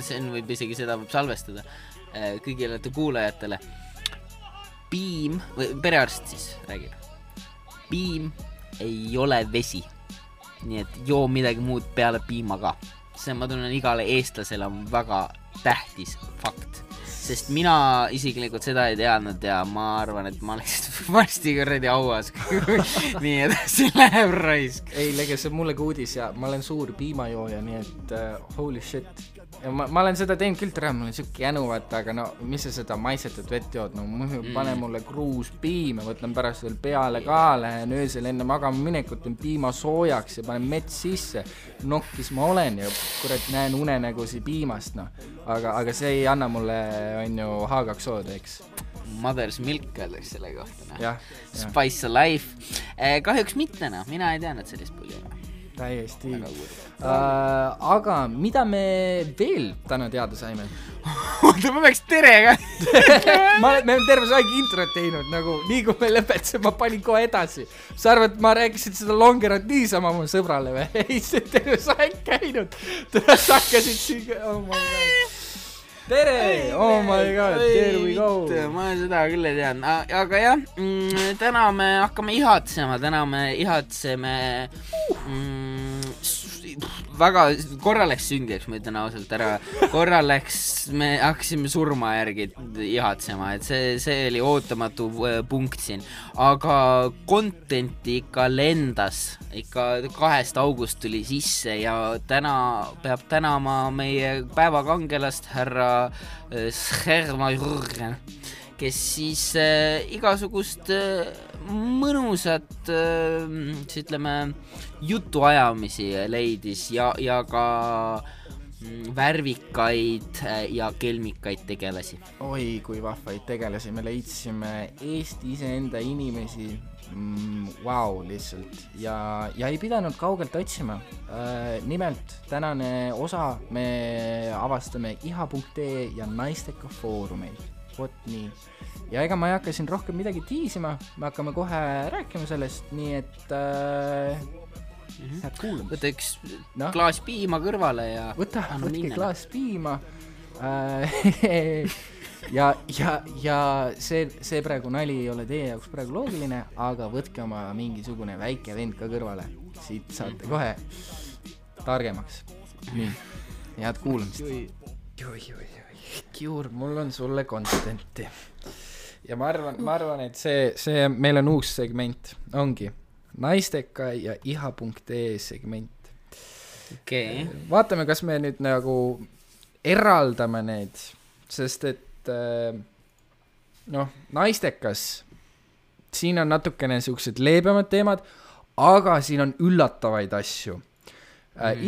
Sen võib isegi seda võib salvestada kõigile kuulajatele. Piim, või perearst siis räägib. Piim ei ole vesi. Nii et joo midagi muud peale piima ka. See ma tunnen igale eestlasele on väga tähtis fakt. Sest mina isiklikult seda ei teadnud ja ma arvan, et ma oleks varsti kõrredi auas. Nii edasi läheb raisk. Ei, lege, see on mulle ka uudis ja ma olen suur piimajooja, nii et holy shit. Ja ma olen seda teinud küll tere, mul on siuke jänu, vaata, aga no, mis sa seda maisetud vett jood? No pane mulle kruus piima, võtlen pärast veel peale ka, lähen öösel enne magama minekut, teen piima soojaks ja panen mets sisse. Nokkis ma olen ja kurat näen unenägusi piimast, no. Aga see ei anna mulle, on ju, H2O-d, eks. Mother's milk öeldaks selle kohta. Ja. Spice of life. Kahjuks mitte, no. Mina ei teadnud sellist pulli. Täiesti. Aga mida me veel täna teada saime? Oota, ma peaks terega. Me olen terve aeg introt teinud, nagu nii kui me lõpetasin, ma panin kohe edasi. Sa arvad, ma rääkisin seda longerat niisama mu sõbrale või? Ei, see terve aeg käinud. Sa hakkasid siin, oh my god. Tere, oh my god, there we go. Ma seda küll ei tean, aga jah, täna me hakkame ihatsema, väga korra läks süngiks, ma ütlen ausalt ära, korra läks, me hakkasime surma järgi ihatsema, et see oli ootamatu punkt siin, aga contenti ikka lendas, ikka 2 august tuli sisse ja täna peab tänama meie päevakangelast härra Schermajurgen, kes siis igasugust mõnusat ütleme jutuajamisi leidis ja ka värvikaid ja kelmikaid tegelasi. Oi, kui vahvaid tegelasi me leidsime Eesti iseenda inimesi. Wow, lihtsalt ja ei pidanud kaugelt otsima. Nimelt tänane osa me avastame iha.ee ja naisteka foorumeid. Vot nii. Ja ega ma ei hakka siin rohkem midagi tiisima, me hakkame kohe rääkima sellest, nii et head kuulamist. Võta üks klaas piima kõrvale ja võtke klaas piima ja see praegu nali ei ole teie jaoks praegu loogiline, aga võtke oma mingisugune väike vend ka kõrvale, siit saate kohe targemaks. Nii, head kuulamist. Kiur, mul on sulle contenti. Ja ma arvan, et see meil on uus segment, ongi naisteka ja iha.ee segment. Okay. Vaatame, kas me nüüd nagu eraldame need, sest et naistekas, siin on natukene siuksed leebemad teemad, aga siin on üllatavaid asju.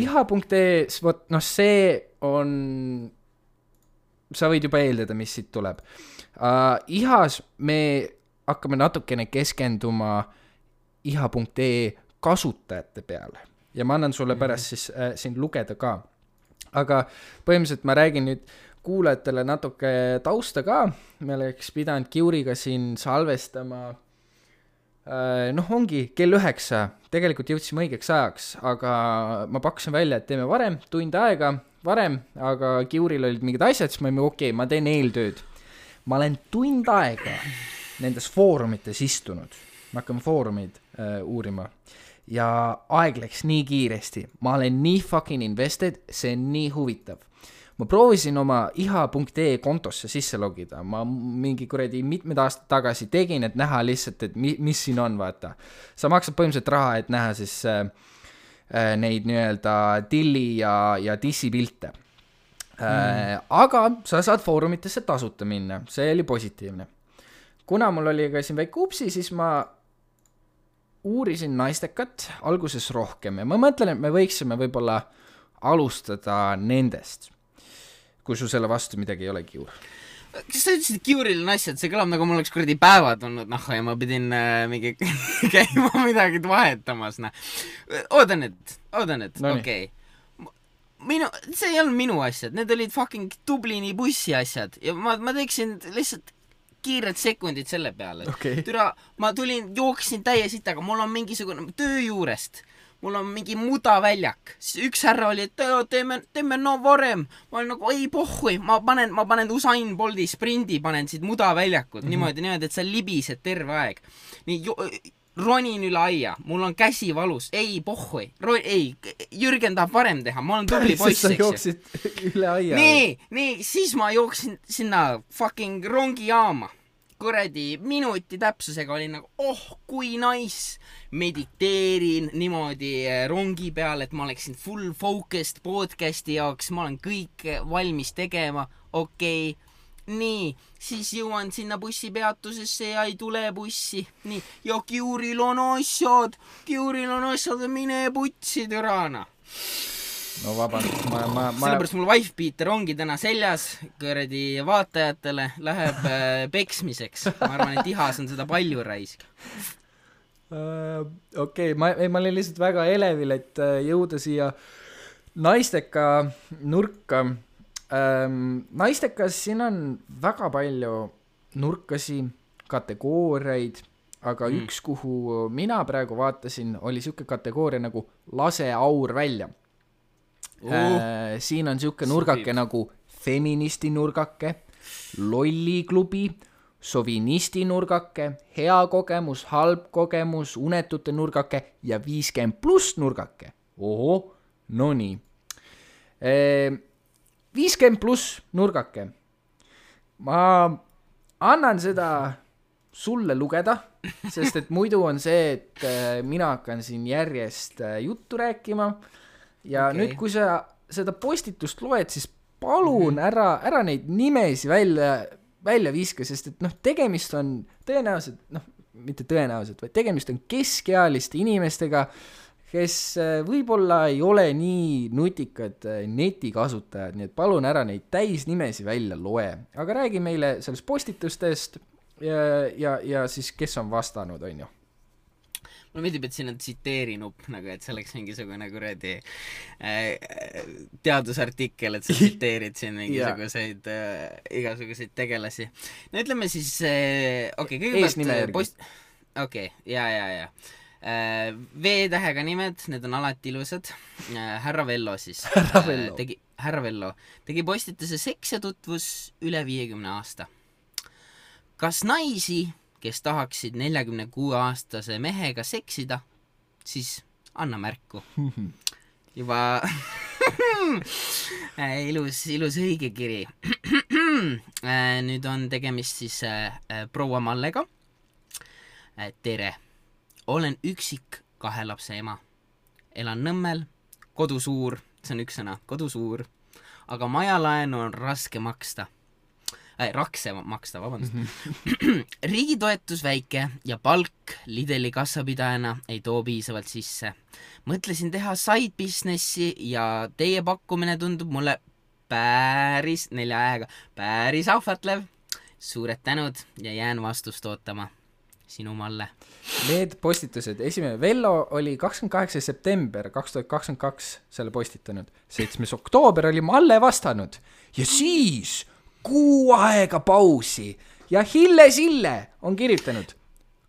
Iha.ee, see on, sa võid juba eeldada, mis siit tuleb. Ihas me hakkame natukene keskenduma iha.ee kasutajate peale ja ma annan sulle pärast siis siin lugeda ka. Aga põhimõtteliselt ma räägin nüüd kuulajatele natuke tausta ka. Me oleks pidanud Kiuriga siin salvestama ongi kell 9, tegelikult jõudsime õigeks ajaks, aga ma pakkusin välja, et teeme varem, tund aega varem, aga Kiuril olid mingid asjad, siis ma teen eeltööd. Ma olen tund aega nendes foorumites istunud, ma hakkame foorumid uurima ja aeg läks nii kiiresti, ma olen nii fucking invested, see on nii huvitav. Ma proovisin oma iha.ee kontosse sisse logida, ma mingi kuradi mitmed aastad tagasi tegin, et näha lihtsalt, et mis siin on, vaata. Sa maksad põhimõtteliselt raha, et näha siis neid nii-öelda tilli ja dissi pilte. Aga sa saad foorumitesse tasuta minna, see oli positiivne. Kuna mul oli ka siin väike upsi, siis ma uurisin naistekat alguses rohkem ja ma mõtlen, et me võiksime võib-olla alustada nendest. Kui sul selle vastu midagi ei ole, Kiur. Kas sa ütlesid, et Kiuril on asjad? See kõlab nagu mul oleks kuradi päevad olnud, ja ma pidin mingi käima midagi vahetamas. Oodan et, okei. See ei olnud minu asjad, need olid fucking Dublini bussi asjad ja ma teeksin lihtsalt kiired sekundid selle peale. Okay. Ma jooksin täie sitaga, mul on mingisugune töö juurest. mul on mingi mudaväljak. Siis üks härra oli, et teeme no varem. Ma olin nagu, ei pohhui, ma panen Usain Bolti sprindi, panen siit mudaväljakut niimoodi, et sa libised terve aeg. Nii, ronin üle aia, mul on käsi valus, ei pohhui, ei, Jürgen tahab varem teha, ma olen tubli poiss, sa jooksid üle aia. Nii, siis ma jooksin sinna fucking rongijaama. Kuradi minuti täpsusega oli nagu, kui nice. Mediteerin niimoodi rongi peal, et ma oleksin full focused podcasti jaoks, ma olen kõik valmis tegema, okei. Nii, siis jõuan sinna bussipeatusesse ja ei tule bussi. Nii, ja Kiuril on asjad, mine putsi türana. No vabandust, sellepärast mul wife-beater ongi täna seljas, kõredi vaatajatele läheb peksmiseks. Ma arvan, et ihas on seda palju raisk. Okei, ma olin lihtsalt väga elevil, et jõuda siia naisteka nurka. Naistekas siin on väga palju nurkasi, kategooriaid, aga üks, kuhu mina praegu vaatasin, oli siuke kategooria nagu lase aur välja. Siin on siuke nurgake nagu feministi nurgake, lolliklubi, sovinisti nurgake, hea kogemus, halb kogemus, unetute nurgake ja 50+ nurgake. No nii. 50+ nurgake. Ma annan seda sulle lugeda, sest et muidu on see, et mina hakkan siin järjest juttu rääkima ja nüüd, kui sa seda postitust loed, siis palun ära neid nimesi välja viska, sest et tegemist on tõenäoliselt, mitte tõenäoliselt, vaid tegemist on keskealiste inimestega, kes võib-olla ei ole nii nutikad netikasutajad, nii et palun ära neid täisnimesi välja loe. Aga räägi meile sellest postitustest ja siis kes on vastanud, on ju? Mulle meeldib, et siin on tsiteerinup, nagu et see oleks mingisugune kuradi teadusartikkel, et sa tsiteerid siin mingisuguseid igasuguseid tegelasi. No ütleme siis, kõigepealt okei, ja. V-tähega nimed, need on alati ilusad. Härra Vello siis. Härra Vello tegi postituse seks ja tutvus üle 50 aasta. Kas naisi, kes tahaksid 46-aastase mehega seksida, siis anna märku. Juba ilus õige kiri. Nüüd on tegemist siis proua Mallega. Tere. Olen üksik 2 lapse ema. Elan Nõmmel, kodu suur, see on üks sõna, kodu suur, aga majalaenu on raske maksta. Rakse maksta, vabandust. Riigitoetus väike ja palk Lidli kassapidajana ei too piisavalt sisse. Mõtlesin teha side businessi ja teie pakkumine tundub mulle päris ahvatlev. Suured tänud ja jään vastust ootama. Sinu Malle. Need postitused, esimene Vello oli 28. september 2022 selle postitanud, 7. oktoober oli Malle vastanud ja siis kuu aega pausi ja Hille Sille on kirjutanud: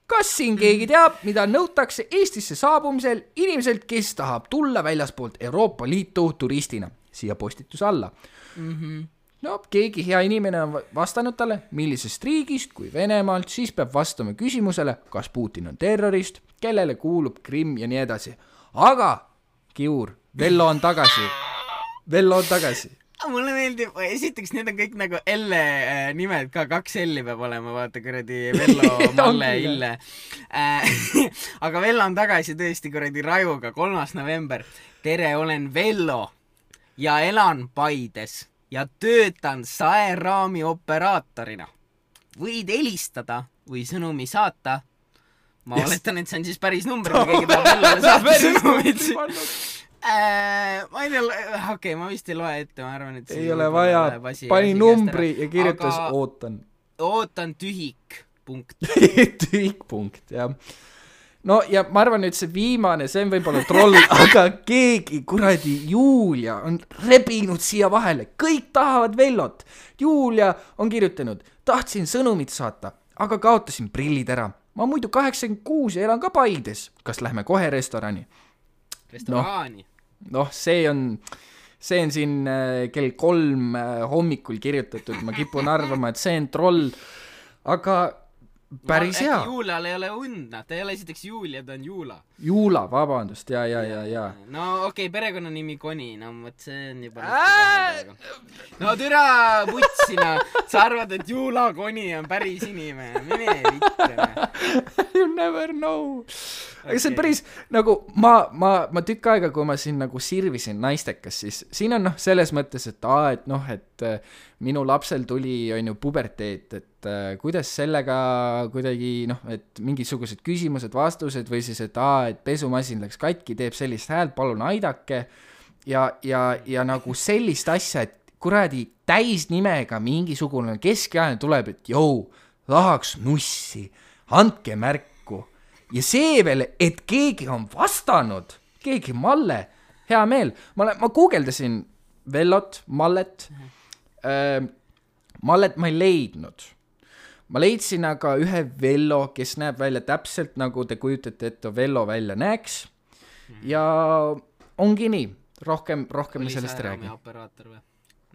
kas siin keegi teab, mida nõutakse Eestisse saabumisel inimeselt, kes tahab tulla väljaspoolt Euroopa Liitu turistina? Siia postituse alla. No, keegi hea inimene on vastanud talle, millisest riigist kui Venemaalt, siis peab vastama küsimusele, kas Putin on terrorist, kellele kuulub Krimm ja nii edasi. Aga, Kiur, Vello on tagasi. Mulle meeldib, esiteks need on kõik nagu L nimed, ka 2 L peab olema, vaata kuradi Vello, Malle, Ille. Aga Vello on tagasi tõesti kuradi Rajuga, 3. november. Tere, olen Vello ja elan Paides. Ja töötan saeraami operaatorina. Võid helistada või sõnumi saata. Ma oletan, et see on siis päris number, kui keegi tahab Vellole saata sõnumid. Ma ei tea, ma vist ei loe ette, ma arvan, et ei ole vaja, pani numbri ja kirjutas ootan. Ootan tühik, punkt. Tühik, punkt, jah. No ja ma arvan nüüd see viimane, see on võib-olla troll, aga keegi, kuradi Julia on rebinud siia vahele, kõik tahavad Vellot. Julia on kirjutanud: tahtsin sõnumit saata, aga kaotasin prillid ära. Ma muidu 86 ja elan ka Paides. Kas lähme kohe restorani? restoraani. Noh, see on siin kell 3 hommikul kirjutatud, ma kipun arvama, et see on troll, aga päris hea. Juulal ei ole und, ta ei ole esiteks Julia, ta on Juula. Juula, vabandust, ja. No okei, perekonnanimi Koni, no mõt see on juba no türa putsina, sa arvad, et Juula Koni on päris inimene, mine vittene. You never know. Aga see on päris, nagu ma tükk aega, kui ma siin nagu sirvisin naistekas, siis siin on selles mõttes, et minu lapsel tuli, on ju, puberteet, et kuidas sellega kuidagi, et mingisugused küsimused, vastused või siis, et pesumasin läks katki, teeb sellist häält, palun aidake ja nagu sellist asja, et kuradi täisnimega mingisugune keskealine tuleb, et tahaks nussi, andke märku. Ja see veel, et keegi on vastanud, keegi Malle, hea meel. Ma guugeldasin Vellot, Mallet. Mallet ma ei leidnud. Ma leidsin aga ühe Vello, kes näeb välja täpselt nagu te kujutate, et Vello välja näeks. Ja ongi nii. Rohkem me sellest räägi. Operaator või?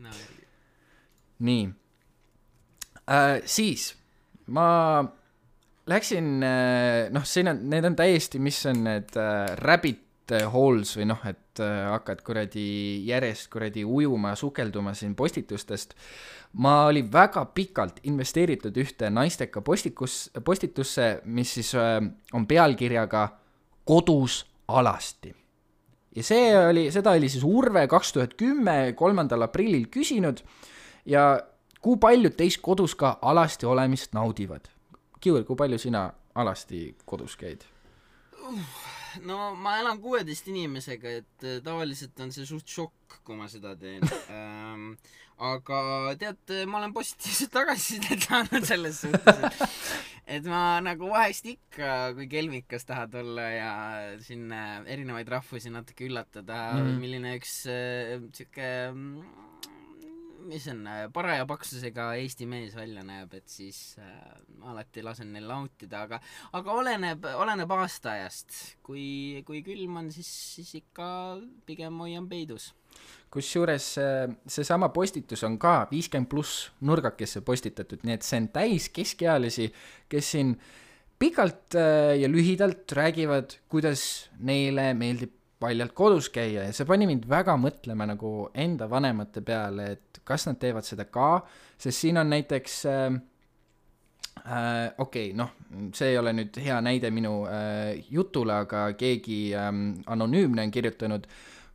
No, nii. Siis ma läksin, need on täiesti, mis on need rabbit holes või et hakkad järjest ujuma ja sukelduma siin postitustest. Ma olin väga pikalt investeeritud ühte naisteka postitusse, mis siis on pealkirjaga Kodus alasti. Ja seda oli siis Urve 2010, 3. aprillil küsinud ja kui paljud teist kodus ka alasti olemist naudivad? Kiur, kui palju sina alasti kodus käid? No ma elan 16 inimesega, et tavaliselt on see suht šokk, kui ma seda teen. Aga tead, ma olen positiivselt tagasisidet saanud selles suhtes, et ma nagu vahest ikka, kui kelmikas tahad olla ja siin erinevaid rahvusi natuke üllatada, milline üks siuke, mis on paraja paksusega Eesti mees välja näeb, et siis alati lasen neil nautida, aga oleneb aastaajast. Kui külm on, siis ikka pigem hoian peidus. Kusjuures see sama postitus on ka 50+ nurgakesse postitatud, nii et see on täis keskealisi, kes siin pikalt ja lühidalt räägivad, kuidas neile meeldib paljalt kodus käia ja see pani mind väga mõtlema nagu enda vanemate peale, et kas nad teevad seda ka, sest siin on näiteks see ei ole nüüd hea näide minu jutule, aga keegi anonüümne on kirjutanud,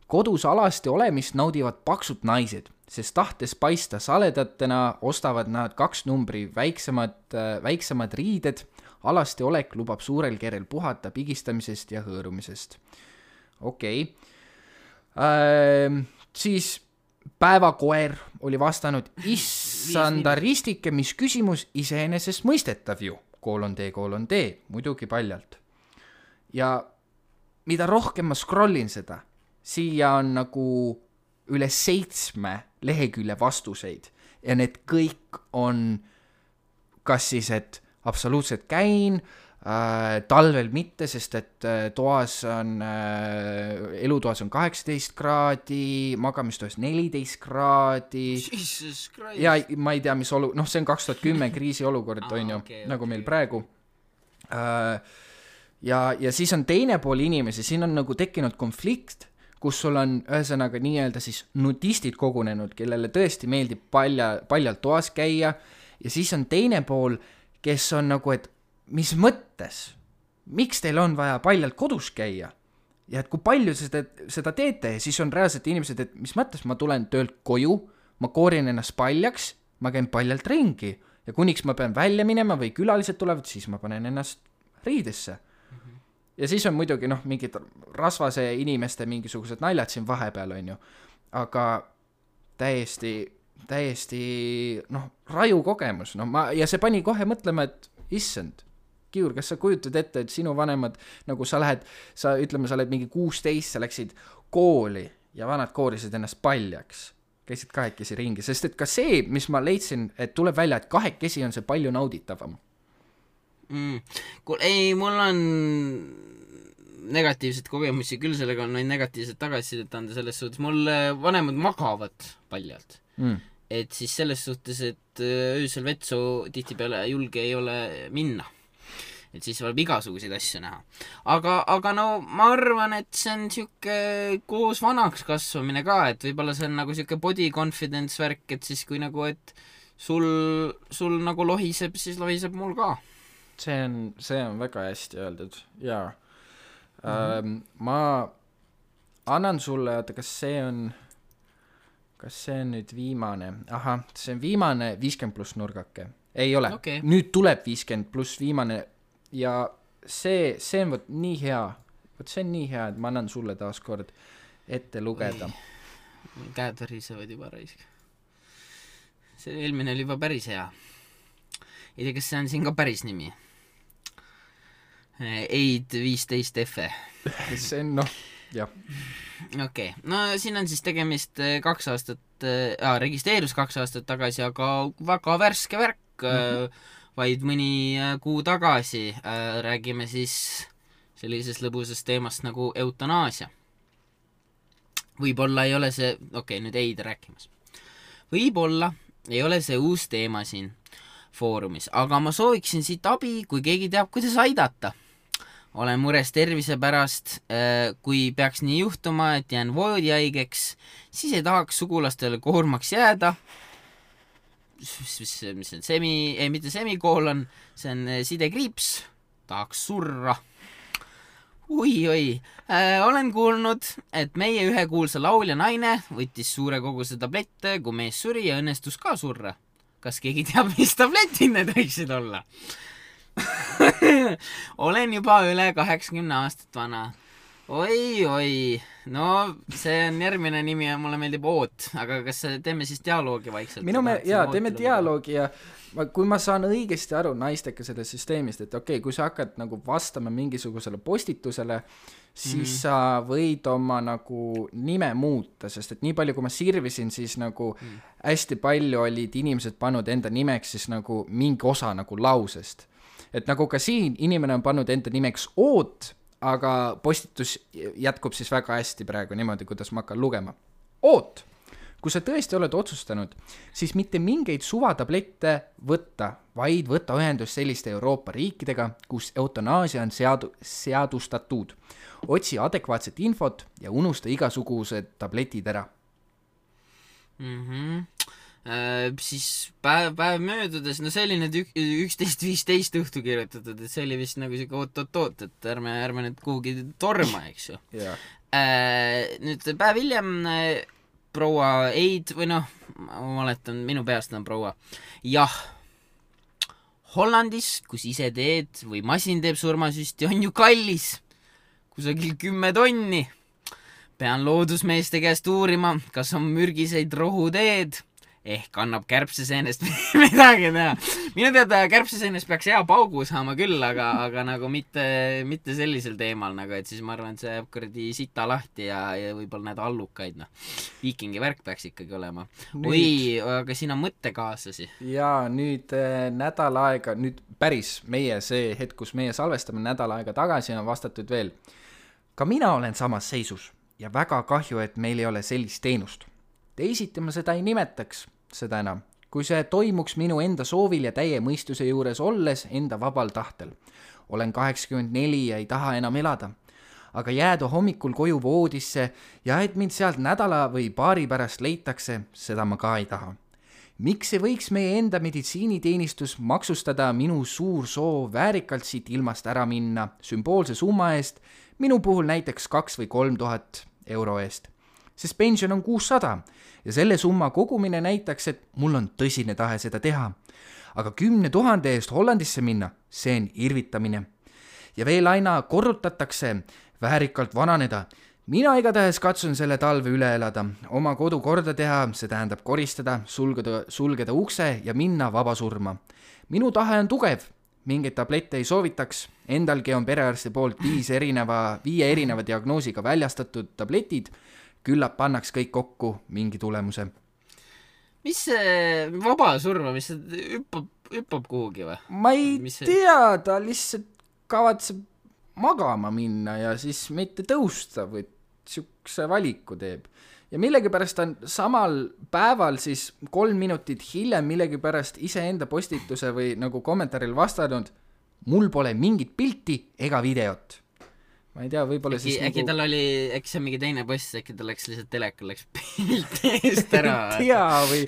kodus alasti olemist naudivad paksud naised, sest tahtes paista saledatena ostavad nad 2 numbri väiksemad riided, alasti olek lubab suurel kerel puhata pigistamisest ja hõõrumisest. Okei. Siis päevakoer oli vastanud, issanda ristike, mis küsimus iseenesest mõistetav ju, : muidugi paljalt. Ja mida rohkem ma scrollin seda, siia on nagu üle 7 lehekülje vastuseid ja need kõik on kas siis, et absoluutselt käin, talvel mitte, sest et elutoas on 18 kraadi, magamistoas 14 kraadi. Jesus Christ. Ja ma ei tea, mis see on 2010 kriisiolukord, on ju, nagu meil praegu. Ja siis on teine pool inimesi, siin on nagu tekkinud konflikt, kus sul on ühesõnaga nii-öelda siis nudistid kogunenud, kellele tõesti meeldib paljalt toas käia ja siis on teine pool, kes on nagu, et mis mõttes, miks teil on vaja paljalt kodus käia ja et kui palju seda teete ja siis on reaalselt inimesed, et mis mõttes ma tulen töölt koju, ma koorin ennast paljaks, ma käin paljalt ringi ja kuniks ma pean välja minema või külalised tulevad, siis ma panen ennast riidesse. Ja siis on muidugi mingid rasvase inimeste mingisugused naljad siin vahepeal, on ju, aga täiesti raju kogemus, ja see pani kohe mõtlema, et issand, Kiur, kas sa kujutad ette, et sinu vanemad, nagu sa oled mingi 16, sa läksid kooli ja vanad koorisid ennast paljaks, käisid kahekesi ringi, sest et ka see, mis ma leidsin, et tuleb välja, et kahekesi on see palju nauditavam. Ei, mul on negatiivseid kogemusi küll sellega on negatiivset tagasisidet anda selles suhtes, mul vanemad magavad paljalt et siis selles suhtes, et öösel vetsu tihtipeale julge ei ole minna, et siis võib igasuguseid asju näha, aga no ma arvan, et see on siuke koos vanaks kasvamine ka, et võib-olla see on nagu siuke body confidence värk, et siis kui nagu, et sul nagu lohiseb, siis lohiseb mul ka. See on väga hästi öeldud, jaa. Ma annan sulle, oota, kas see on nüüd viimane? Ahah, see on viimane 50+ nurgake. Ei ole, okay. Nüüd tuleb 50+ viimane ja see on võt nii hea, et ma annan sulle taas kord ette lugeda. Käed värisevad juba raisk. See eelmine oli juba päris hea. Ei tea, kas see on siin ka päris nimi? Eid 15 F. See on, jah. Okei. No siin on siis tegemist 2 aastat, registreerus 2 aastat tagasi, aga väga värske värk, vaid mõni kuu tagasi räägime siis sellisest lõbusast teemast nagu eutanaasia. Võib-olla ei ole see, nüüd Eid rääkimas. Võib-olla ei ole see uus teema siin foorumis, aga ma sooviksin siit abi, kui keegi teab, kuidas aidata. Olen mures tervise pärast, kui peaks nii juhtuma, et jään voodihaigeks, siis ei tahaks sugulastele koormaks jääda. See on mitte semikoolon, see on sidekriips, tahaks surra. Oi, olen kuulnud, et meie ühe kuulsa laulja naine võttis suure koguse tablette, kui mees suri ja õnnestus ka surra. Kas keegi teab, mis tabletid need võiksid olla? Olen juba üle 80 aastat vana. Oi, no see on järgmine nimi ja mulle meeldib Oot, aga kas teeme siis dialoogi vaikselt? Teeme dialoogi ja kui ma saan õigesti aru naistega sellest süsteemist, et kui sa hakkad nagu vastama mingisugusele postitusele, siis sa võid oma nagu nime muuta, sest et nii palju, kui ma sirvisin, siis nagu hästi palju olid inimesed pannud enda nimeks siis nagu mingi osa nagu lausest. Et nagu ka siin inimene on pannud enda nimeks Oot, aga postitus jätkub siis väga hästi praegu niimoodi, kuidas ma hakkan lugema. Oot, kui sa tõesti oled otsustanud, siis mitte mingeid suvatablette võtta, vaid võtta ühendust selliste Euroopa riikidega, kus eutanaasia on seadustatud. Otsi adekvaatset infot ja unusta igasugused tabletid ära. Siis päev möödudes, no see oli nüüd 11.15 õhtu kirjutatud, et see oli vist nagu siuke oot, et ärme nüüd kuhugi torma, eks ju. Nüüd päev hiljem proua Eid, või ma oletan, minu peast on proua. Jah, Hollandis, kus ise teed või masin teeb surmasüsti, on ju kallis. Kusagil 10 tonni. Pean loodusmeeste käest uurima, kas on mürgiseid rohuteed. Ehk annab kärbseseenest midagi teha. Minu teada kärbseseenest peaks hea paugu saama küll, aga nagu mitte sellisel teemal, nagu, et siis ma arvan, et see jääb kuradi sita lahti ja võib-olla need allukaid. Viikingi värk peaks ikkagi olema. Oi, aga siin on mõttekaaslasi. Ja nüüd nädal aega, nüüd päris meie see hetk, kus meie salvestame nädal aega tagasi on vastatud veel. Ka mina olen samas seisus ja väga kahju, et meil ei ole sellist teenust. Teisiti ma seda ei nimetaks, seda enam, kui see toimuks minu enda soovil ja täie mõistuse juures olles enda vabal tahtel. Olen 84 ja ei taha enam elada, aga jääda hommikul koju voodisse ja et mind sealt nädala või paari pärast leitakse, seda ma ka ei taha. Miks ei võiks meie enda meditsiiniteenistus maksustada minu suur soov väärikalt siit ilmast ära minna sümboolse summa eest, minu puhul näiteks 2 või 3 tuhat euro eest? Sest pension on 600 ja selle summa kogumine näitaks, et mul on tõsine tahe seda teha. Aga 10 000 eest Hollandisse minna, see on irvitamine. Ja veel aina korrutatakse väärikalt vananeda. Mina igatahes katsun selle talve üle elada, oma kodu korda teha, see tähendab koristada, sulgeda ukse ja minna vaba surma. Minu tahe on tugev, mingeid tablette ei soovitaks, endalgi on perearsti poolt 5 erineva diagnoosiga väljastatud tabletid, küllap pannaks kõik kokku mingi tulemuse. Mis see vaba surma, mis see hüppab kuhugi või? Ma ei tea, ta lihtsalt kavatseb magama minna ja siis mitte tõusta või siukse valiku teeb. Ja millegipärast on samal päeval siis 3 minutit hiljem millegipärast iseenda postituse või nagu kommentaaril vastanud, mul pole mingit pilti ega videot. Ma ei tea, võib-olla äkki, siis äkki nagu... tal oli, äkki see on mingi teine post, äkki tal läks lihtsalt telekal, läks pilt eest ära. Tea või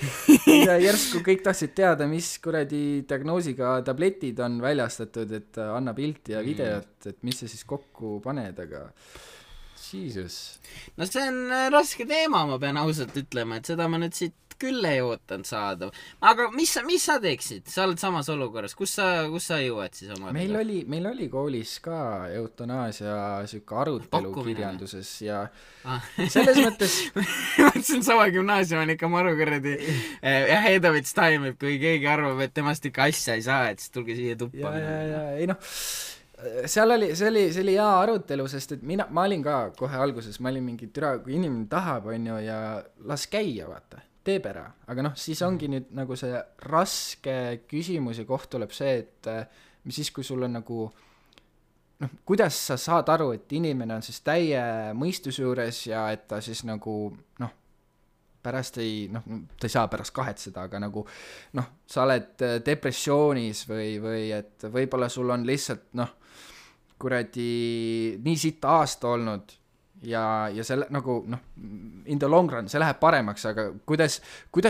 järsku kõik tahtsid teada, mis kuradi diagnoosiga tabletid on väljastatud, et anna pilti ja videot, et mis sa siis kokku paned, aga Jesus. No see on raske teema, ma pean ausalt ütlema, et seda ma nüüd siit küll ei ootanud saada. Aga mis sa teeksid? Sa oled samas olukorras. Kus sa jõuad siis oma? Meil oli koolis ka eutanaasia siuke arutelu kirjanduses ja selles mõttes see on sama gümnaasium on ikka marukuradi Hedovits time, et kui keegi arvab, et temast ikka asja ei saa, et siis tulge siia tuppa. Ja, ei noh, see oli hea arutelu, sest et ma olin ka kohe alguses, ma olin mingi türa, kui inimene tahab, onju, ja las käia, vaata, teeb ära. Aga noh, siis ongi nüüd nagu see raske küsimus ja koht tuleb see, et mis siis, kui sul on nagu noh, kuidas sa saad aru, et inimene on siis täie mõistuse juures ja et ta siis nagu noh, pärast ei, noh, ta ei saa pärast kahetseda, aga nagu noh, sa oled depressioonis või et võib-olla sul on lihtsalt noh, kuradi nii sitt aasta olnud ja selle nagu noh, in the long run see läheb paremaks, aga kuidas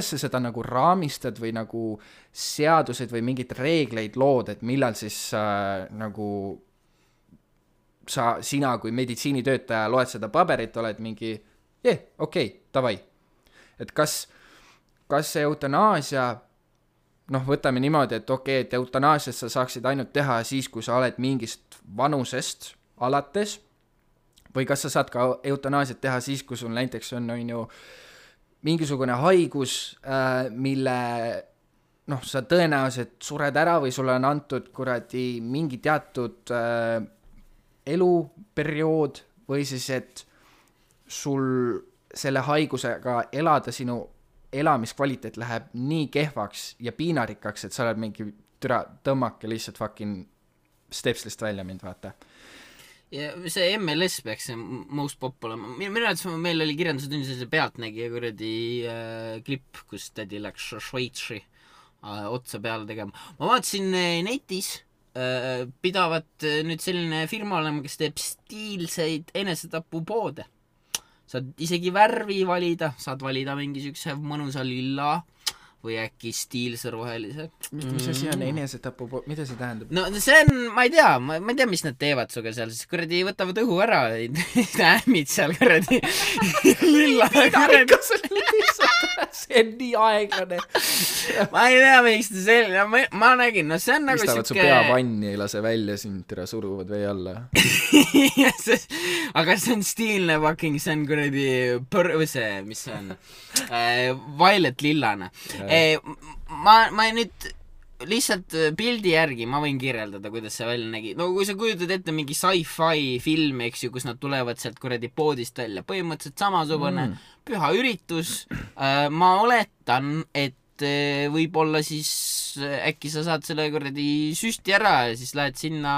sa seda nagu raamistad või nagu seadused või mingid reegleid lood, et millal siis nagu sina kui meditsiinitöötaja loed seda paberit, oled mingi okei, davai. Et kas see eutanaasia, noh, võtame niimoodi, et okei, et eutanaasiat sa saaksid ainult teha siis, kui sa oled mingist vanusest alates, või kas sa saad ka eutanaasiat teha siis, kui sul näiteks on ju mingisugune haigus, mille noh, sa tõenäoliselt sured ära või sulle on antud kuradi mingi teatud eluperiood või siis, et sul selle haigusega elada sinu elamiskvaliteet läheb nii kehvaks ja piinarikkaks, et sa oled mingi tõmmake lihtsalt fucking stepslist välja mind, vaata. Ja see MLS peaks see most pop olema. Minu arvates meil oli kirjandustunnis see pealtnägija kuradi klipp, kus tädi läks Šveitsi otsa peale tegema. Ma vaatasin netis pidavat nüüd selline firma olema, kes teeb stiilseid enesetapupoode. Saad isegi värvi valida, saad valida mingi sükse mõnusa lilla või äkki stiilse rohelise. Mis asi on enesetapu, mida see tähendab? No see on, ma ei tea, mis nad teevad suga seal, siis kuradi võtavad õhu ära, ämmid seal kuradi lilla. See on nii aeglane. Ma ei tea, miks ta selline, ma nägin, no see on nagu Vistavad su pea vanni, ei lase välja sind, tere suruvad vee alla. Aga see on stiilne fucking, see on kuradi see, mis see on, violet lillane. Ma nüüd lihtsalt pildi järgi ma võin kirjeldada, kuidas see välja nägi. No kui sa kujutad ette mingi sci-fi film, eks ju, kus nad tulevad sealt kuradi poodist välja, põhimõtteliselt samasugune püha üritus. Ma oletan, et võib-olla siis äkki sa saad selle kuradi süsti ära ja siis lähed sinna,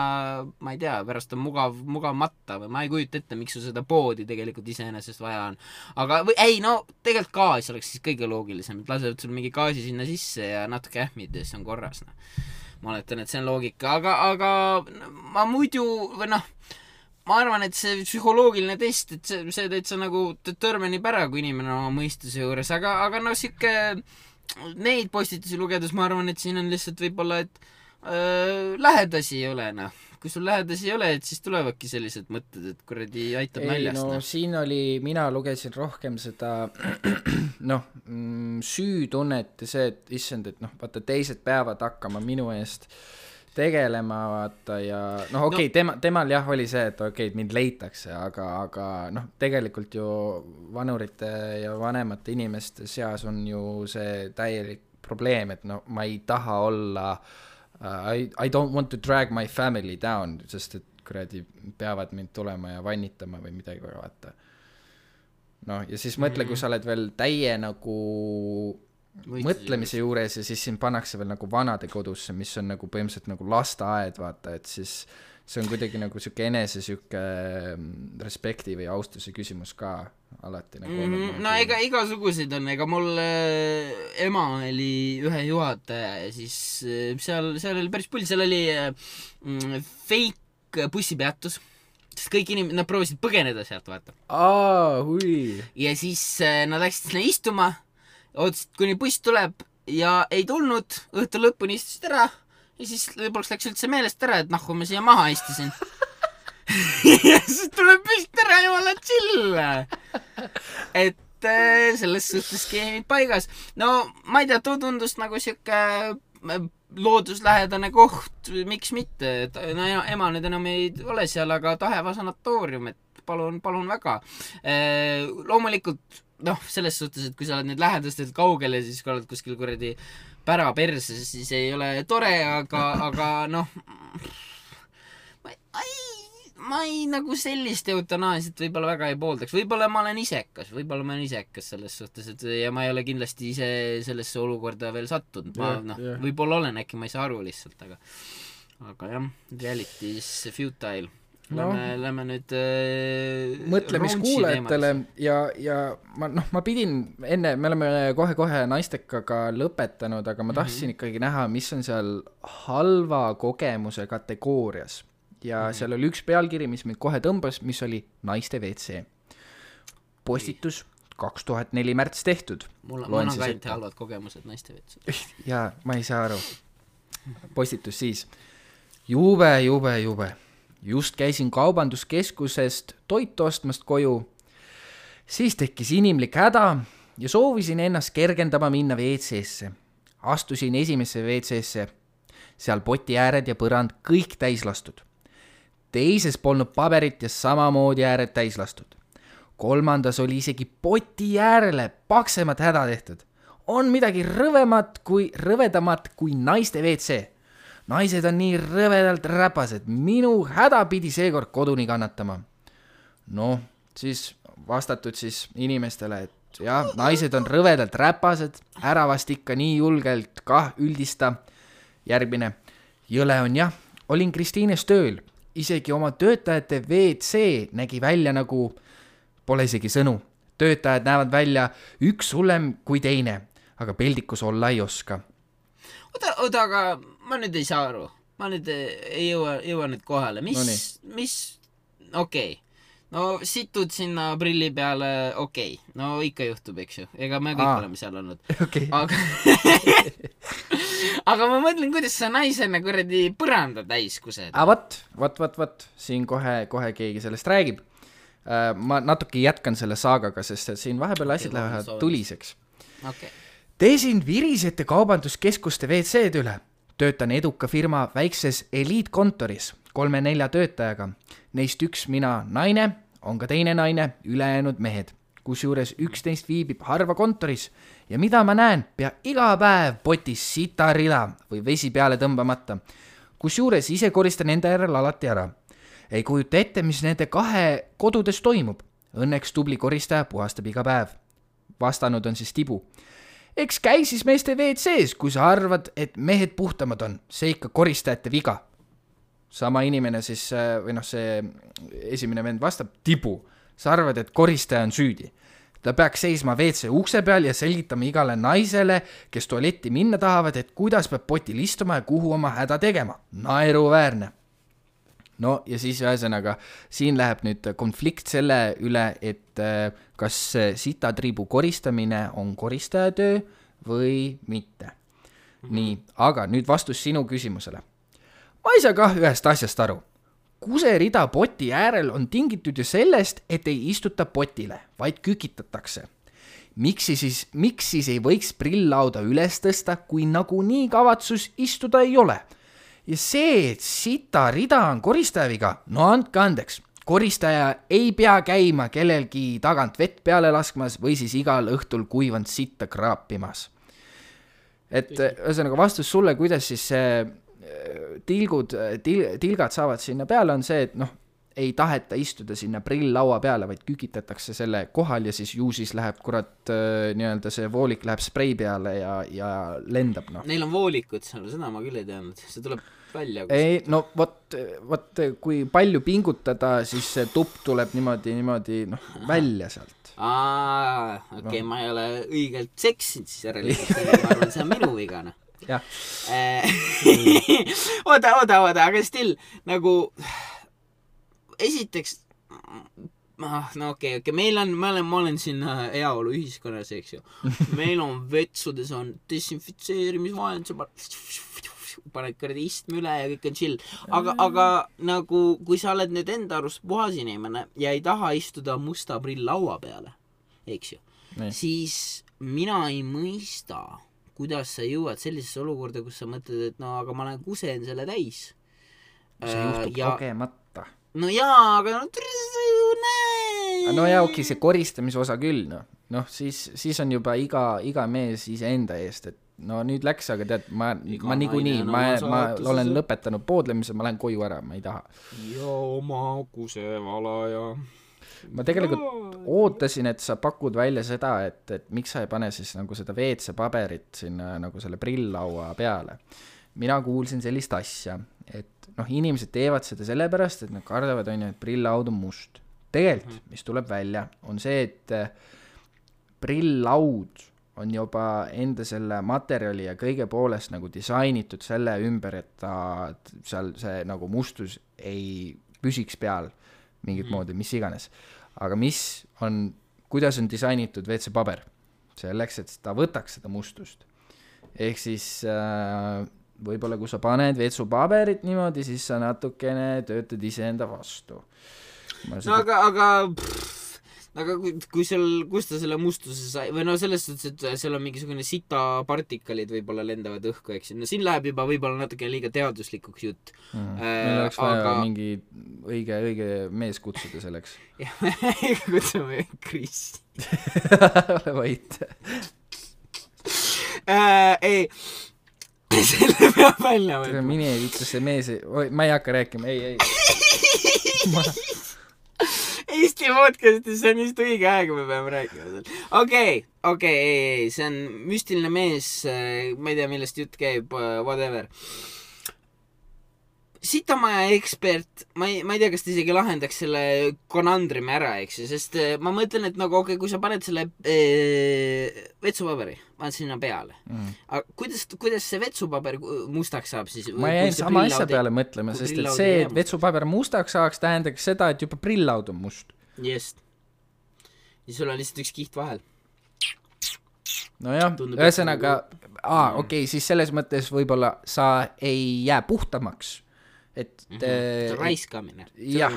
ma ei tea, pärast on mugav matta või ma ei kujuta ette, miks sul seda poodi tegelikult iseenesest vaja on. Aga ei, no tegelikult gaas oleks siis kõige loogilisem, et lasevad sul mingi gaasi sinna sisse ja natuke ähmid ja siis on korras. Ma oletan, et see on loogika, aga ma muidu või noh, ma arvan, et see psühholoogiline test, et see täitsa nagu determinib ära, kui inimene on oma mõistuse juures, aga no siuke neid postitusi lugedes ma arvan, et siin on lihtsalt võib-olla, et lähedasi ei ole, noh. Kui sul lähedasi ei ole, et siis tulevadki sellised mõtted, et kuradi aitab naljast. No siin oli, mina lugesin rohkem seda noh, süütunnet ja see, et issand, et noh, vaata teised peavad hakkama minu eest tegelema, vaata, ja noh, okei, temal jah oli see, et okei, mind leitakse, aga noh, tegelikult ju vanurite ja vanemate inimeste seas on ju see täielik probleem, et no ma ei taha olla I don't want to drag my family down, sest et kuradi peavad mind tulema ja vannitama või midagi, vaata. No ja siis mõtle, kui sa oled veel täie nagu mõtlemise juures ja siis siin pannakse veel nagu vanade kodusse, mis on nagu põhimõtteliselt nagu lasteaed, vaata, et siis see on kuidagi nagu siuke enese siuke respekti või austuse küsimus ka alati nagu no ega igasuguseid on, ega mul ema oli ühe juhataja ja siis seal oli päris pull, seal oli fake bussipeatus, sest kõik inimesed, nad proovisid põgeneda sealt, vaata. hui. Ja siis nad läksid sinna istuma, ootasid, kuni buss tuleb ja ei tulnud, õhtu lõpuni istusid ära ja siis lõpuks läks üldse meelest ära, et nahku ma siia maha istusin. Ja siis tuleb püst ära, jumala chill. Et selles suhtes skeemid paigas. No ma ei tea, too tundus nagu siuke looduslähedane koht, miks mitte. No ema nüüd enam ei ole seal, aga Taheva sanatoorium, et palun väga. Loomulikult, selles suhtes, et kui sa oled nüüd lähedastelt kaugel ja siis kui oled kuskil kuradi pära perse, siis ei ole tore, aga ma ei nagu sellist eutanaasiat võib-olla väga ei pooldaks. Võib-olla ma olen isekas selles suhtes, et ja ma ei ole kindlasti ise sellesse olukorda veel sattunud. Ma võib-olla olen, äkki ma ei saa aru lihtsalt, aga jah, reality is futile. Lähme nüüd mõtlemiskuulajatele ja ma pidin enne, me oleme kohe naistekaga lõpetanud, aga ma tahtsin ikkagi näha, mis on seal halva kogemuse kategoorias ja seal oli üks pealkiri, mis mind kohe tõmbas, mis oli naiste WC. Postitus 2004 märts tehtud. Mul on ka ainult halvad kogemused naiste WC. Jaa, ma ei saa aru. Postitus siis. Jube. Just käisin kaubanduskeskusest toitu ostmast koju, siis tekkis inimlik häda ja soovisin ennast kergendama minna WC-sse. Astusin esimesse WC-sse, seal poti ääred ja põrand kõik täis lastud. Teises polnud paberit ja samamoodi ääred täis lastud. Kolmandas oli isegi poti äärele paksemat häda tehtud. On midagi rõvedamat kui naiste WC. Naised on nii rõvedalt räpased, minu häda pidi seekord koduni kannatama. Siis vastatud siis inimestele, et jah, naised on rõvedalt räpased, ära vast ikka nii julgelt kah üldista. Järgmine, jõle on jah, olin Kristiines tööl, isegi oma töötajate WC nägi välja nagu, pole isegi sõnu. Töötajad näevad välja üks hullem kui teine, aga peldikus olla ei oska. Oota, aga ma nüüd ei saa aru. Ma nüüd ei jõua nüüd kohale. Mis okei. No situd sinna prilli peale, okei. No ikka juhtub, eks ju. Ega me kõik oleme seal olnud. Okay. Aga ma mõtlen, kuidas sa naisena kuradi põranda täis kused. Vat. Siin kohe keegi sellest räägib. Ma natuke jätkan selle saagaga, sest siin vahepeal asjad lähevad tuliseks. Okay. Teesin virisete kaubanduskeskuste WC-d üle. Töötan eduka firma väikses eliitkontoris 3-4 töötajaga. Neist üks mina naine, on ka teine naine, ülejäänud mehed. Kusjuures 11 viibib harva kontoris ja mida ma näen, pea iga päev potis sitarida või vesi peale tõmbamata. Kusjuures ise koristan enda järel alati ära. Ei kujuta ette, mis nende kahe kodudes toimub. Õnneks tubli koristaja puhastab iga päev. Vastanud on siis Tibu. Eks käi siis meeste WC-s, kui sa arvad, et mehed puhtamad on. See ikka koristajate viga. Sama inimene siis, see esimene vend vastab, Tibu. Sa arvad, et koristaja on süüdi. Ta peaks seisma WC ukse peal ja selgitama igale naisele, kes tualetti minna tahavad, et kuidas peab potil istuma ja kuhu oma häda tegema. Naeruväärne. No ja siis ühesõnaga, siin läheb nüüd konflikt selle üle, et kas sitatriibu koristamine on koristajatöö või mitte. Nii, aga nüüd vastus sinu küsimusele. Ma ei saa kah ühest asjast aru. Kuserida poti äärel on tingitud ju sellest, et ei istuta potile, vaid kükitatakse. Miks siis ei võiks prilllauda üles tõsta, kui nagunii kavatsus istuda ei ole? Ja see, et sita rida on koristajaviga, no andke andeks. Koristaja ei pea käima kellelgi tagant vett peale laskmas või siis igal õhtul kuivanud sitta kraapimas. Et ühesõnaga vastus sulle, kuidas siis tilgad saavad sinna peale, on see, et ei taheta istuda sinna prill-laua peale, vaid kükitatakse selle kohal ja siis ju siis läheb nii-öelda see voolik läheb sprei peale ja lendab, noh. Neil on voolikud seal, seda ma küll ei teadnud, see tuleb välja. Ei, no vot, kui palju pingutada, siis see tupp tuleb niimoodi välja sealt. Okei, ma ei ole õigelt seksinud siis järelikult, ma arvan, see on minu viga, noh. Jah. Oota, aga still, nagu esiteks, no okei, ma olen siin heaolu ühiskonnas, eks ju. Meil on vetsudes on desinfitseerimisvahend, sa paned kõrdi istme üle ja kõik on chill. Aga nagu, kui sa oled nüüd enda arust puhas inimene ja ei taha istuda musta prill laua peale, eks ju, siis mina ei mõista, kuidas sa jõuad sellisesse olukorda, kus sa mõtled, et no aga ma olen kusen selle täis. See juhtub kogemata. No jaa, aga no jaa, okei, see koristamise osa küll, noh, siis on juba iga mees iseenda eest, et no nüüd läks, aga tead, ma niikuinii, ma olen lõpetanud poodlemise, ma lähen koju ära, ma ei taha. Ja oma kusevala ja... Ma tegelikult ootasin, et sa pakud välja seda, et miks sa ei pane siis nagu seda WC paberit sinna nagu selle prill-laua peale. Mina kuulsin sellist asja, et inimesed teevad seda sellepärast, et nad kardavad, et prill-laud on must. Tegelikult, mis tuleb välja, on see, et prill-laud on juba enda selle materjali ja kõige poolest nagu disainitud selle ümber, et ta seal see nagu mustus ei püsiks peal mingit moodi, mis iganes. Aga kuidas on disainitud WC paber? Selleks, et ta võtaks seda mustust. Ehk siis võib-olla kui sa paned WC paberit niimoodi, siis sa natukene töötad iseenda vastu. Aga kui kus ta selle mustuse sai, või no selles suhtes, et seal on mingisugune sita partikalid võib-olla lendavad õhku, eks. No siin läheb juba võib-olla natuke liiga teaduslikuks jutt. Meil oleks vaja mingi õige mees kutsuda selleks. Kutsume Chris. Ole vait. Ei, selle peab välja võtma. Mine ütles see mees, ma ei hakka rääkima, ei. Eesti podcastis, see on just õige aega, me peame rääkima seal. Okei, see on müstiline mees, ma ei tea, millest jutt käib, whatever. Sitamaja ekspert, ma ei tea, kas ta isegi lahendaks selle konandrimi ära, eks ju, sest ma mõtlen, et nagu kui sa paned selle vetsupaberi, paned sinna peale. Aga kuidas see vetsupaber mustaks saab siis? Ma jäin sama asja peale mõtlema, sest et see, et vetsupaber mustaks saaks, tähendaks seda, et juba prill-laud on must. Just. Ja sul on lihtsalt üks kiht vahel. Nojah, ühesõnaga, okei, siis selles mõttes võib-olla sa ei jää puhtamaks. Raiskamine. Jah.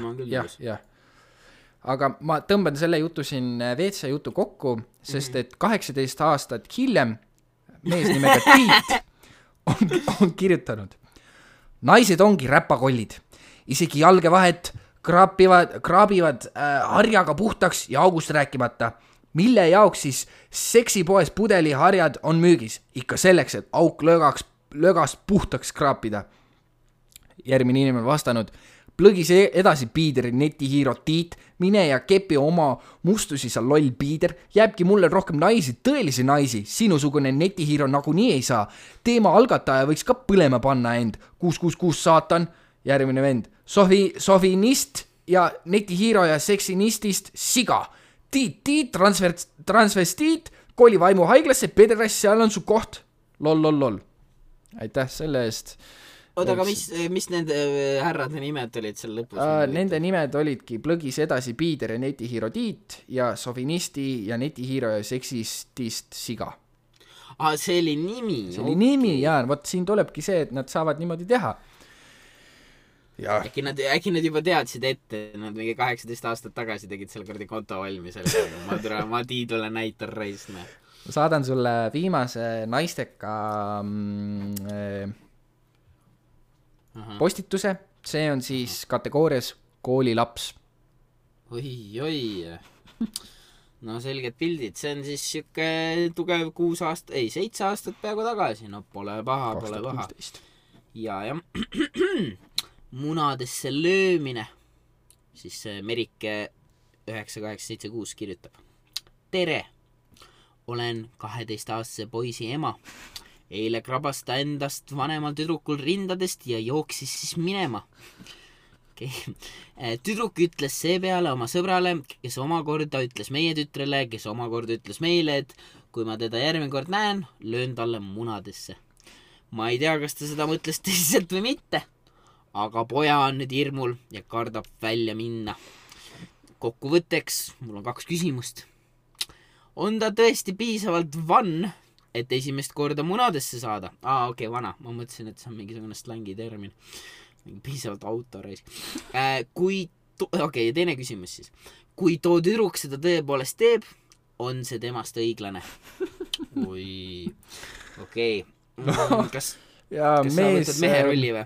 Aga ma tõmban selle jutu siin WC jutu kokku, sest et 18 aastat hiljem mees nimega Tiit on kirjutanud. Naised ongi räpakollid. Isegi jalgevahet kraabivad harjaga puhtaks ja august rääkimata. Mille jaoks siis seksipoes pudeliharjad on müügis? Ikka selleks, et auk lögast puhtaks kraapida. Järgmine inimene vastanud, plõgis edasi piideri netihiiro Tiit, mine ja kepi oma mustusi sa loll piider, jääbki mulle rohkem naisi, tõelisi naisi, sinusugune netihiiro nagunii ei saa. Teema algataja võiks ka põlema panna end, 666 saatan, järgmine vend, sofinist ja netihiiro ja seksinistist siga. Tiit, transvestiit, kooli vaimu haiglasse, pederass, seal on su koht. Lol. Aitäh selle eest. Oota, aga mis nende härrade nimed olid seal lõpus? Nende nimed olidki plõgis edasi piider ja netihiiro Tiit ja sovinisti ja netihiiro ja seksistist siga. See oli nimi? See oli nimi, jaa. Võt siin tulebki see, et nad saavad niimoodi teha. Äkki nad juba teadsid ette, nad mingi 18 aastat tagasi tegid selle kordi konto valmis. Ma Tiidule näitan reisme. Ma saadan sulle viimase naisteka postituse, see on siis kategoorias koolilaps. Oi. No selged pildid, see on siis siuke tugev 7 aastat peaaegu tagasi, no pole paha. 2016. Ja munadesse löömine. siis Merike 9876 kirjutab: tere, olen 12-aastase poisi ema. Eile krabas ta endast vanemal tüdrukul rindadest ja jooksis siis minema. Okay. Tüdruk ütles seepeale oma sõbrale, kes omakorda ütles meie tütrele, kes omakorda ütles meile, et kui ma teda järgmine kord näen, löön talle munadesse. Ma ei tea, kas ta seda mõtles tõsiselt või mitte, aga poja on nüüd hirmul ja kardab välja minna. Kokkuvõtteks, mul on 2 küsimust. On ta tõesti piisavalt vann, et esimest korda munadesse saada? Okei, vana. Ma mõtlesin, et see on mingisugune slangitermin. Piisavalt autoreis. Okei, teine küsimus siis. Kui too tüdruk seda tõepoolest teeb, on see temast õiglane? Okei. Kas sa võtad mehe rolli või?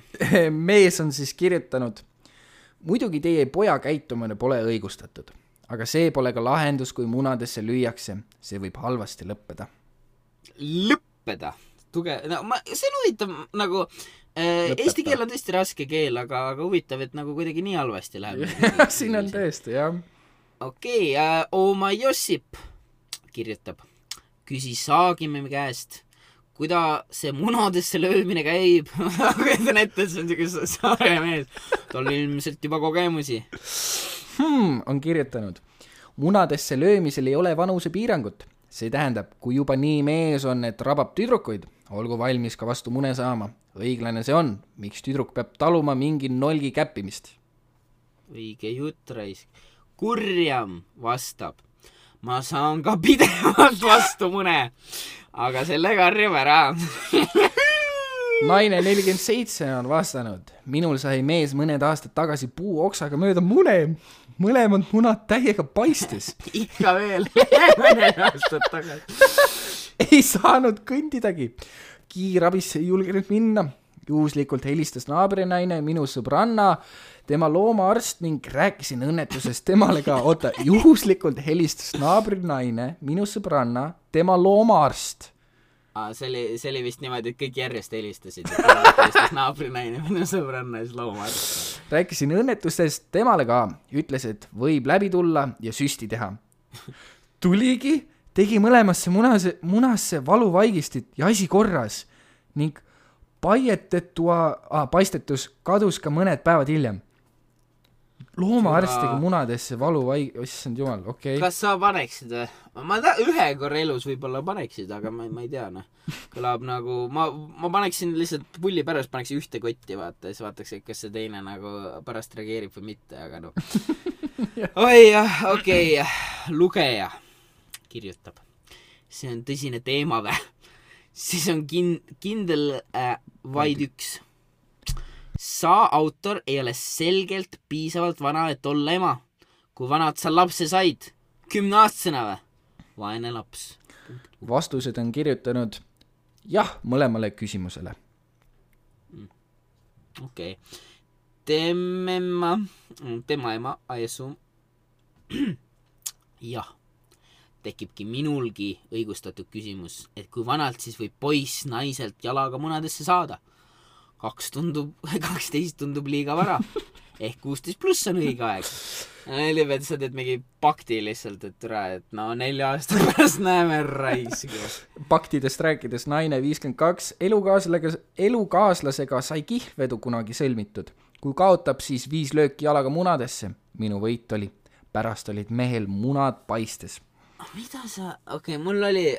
Mees on siis kirjutanud: muidugi teie poja käitumine pole õigustatud, aga see pole ka lahendus, kui munadesse lüüakse. See võib halvasti lõppeda. Lõppeda? See on huvitav nagu... Eesti keel on tõesti raske keel, aga huvitav, et nagu kuidagi nii halvasti läheb. Siin on tõesti, jah. Okei, oma Jossip kirjutab: küsi Saagime käest, kuida see munadesse löömine käib. Kuitan ette, et see on siuke saare mees. Tal ilmselt juba kogemusi. On kirjutanud: munadesse löömisel ei ole vanuse piirangut. See tähendab, kui juba nii mees on, et rabab tüdrukuid, olgu valmis ka vastu mune saama. Õiglane see on, miks tüdruk peab taluma mingi nolgi käppimist. Õige jutt, raisk. Kurjam vastab: ma saan ka pidevalt vastu mune, aga selle karjub ära. Naine 47 on vastanud: minul sai mees mõned aastad tagasi puuoksaga mööda mune. Mõlemad munad täiega paistes. Ikka veel mõned aastad tagasi. Ei saanud kõndidagi. Kiirabisse ei julgenud minna. Juhuslikult helistas naabrinaine, minu sõbranna, tema loomaarst ning rääkisin õnnetusest temale ka. Juhuslikult helistas naabrinaine, minu sõbranna, tema loomaarst. See oli vist niimoodi, et kõik järjest helistasid. Helistas naabrinaine, minu sõbranna ja siis loomaarst. Rääkisin õnnetustest temale ka. Ütles, et võib läbi tulla ja süsti teha. Tuligi, tegi mõlemasse munasse valuvaigistit ja asi korras ning paistetus kadus ka mõned päevad hiljem. Loomaarstiga munadesse issand jumal, okei. Kas sa paneksid või? Ma ühe korra elus võib-olla paneksid, aga ma ei tea, Kõlab nagu, ma paneksin lihtsalt pulli pärast, paneksin ühte kotti, vaata, ja siis vaataks, et kas see teine nagu pärast reageerib või mitte, aga Oi jah, okei. Lugeja kirjutab: see on tõsine teema või? Siis on kindel vaid üks. Sa, autor, ei ole selgelt piisavalt vana, et olla ema. Kui vanad sa lapse said? 10-aastasena või? Vaene laps. Vastused on kirjutanud jah mõlemale küsimusele. Okei. Tema ema, Aiesu. Jah. Tekibki minulgi õigustatud küsimus, et kui vanalt siis võib poiss naiselt jalaga munadesse saada. 12 tundub liiga vara. Ehk 16 pluss on õige aeg. Neil sa teed mingi pakti lihtsalt, et 4 aastat pärast näeme raisgu. Paktidest rääkides naine 52 elukaaslasega sai kihlvedu kunagi sõlmitud. Kui kaotab, siis 5 lööki jalaga munadesse. Minu võit oli. Pärast olid mehel munad paistes. Mida sa... mul oli...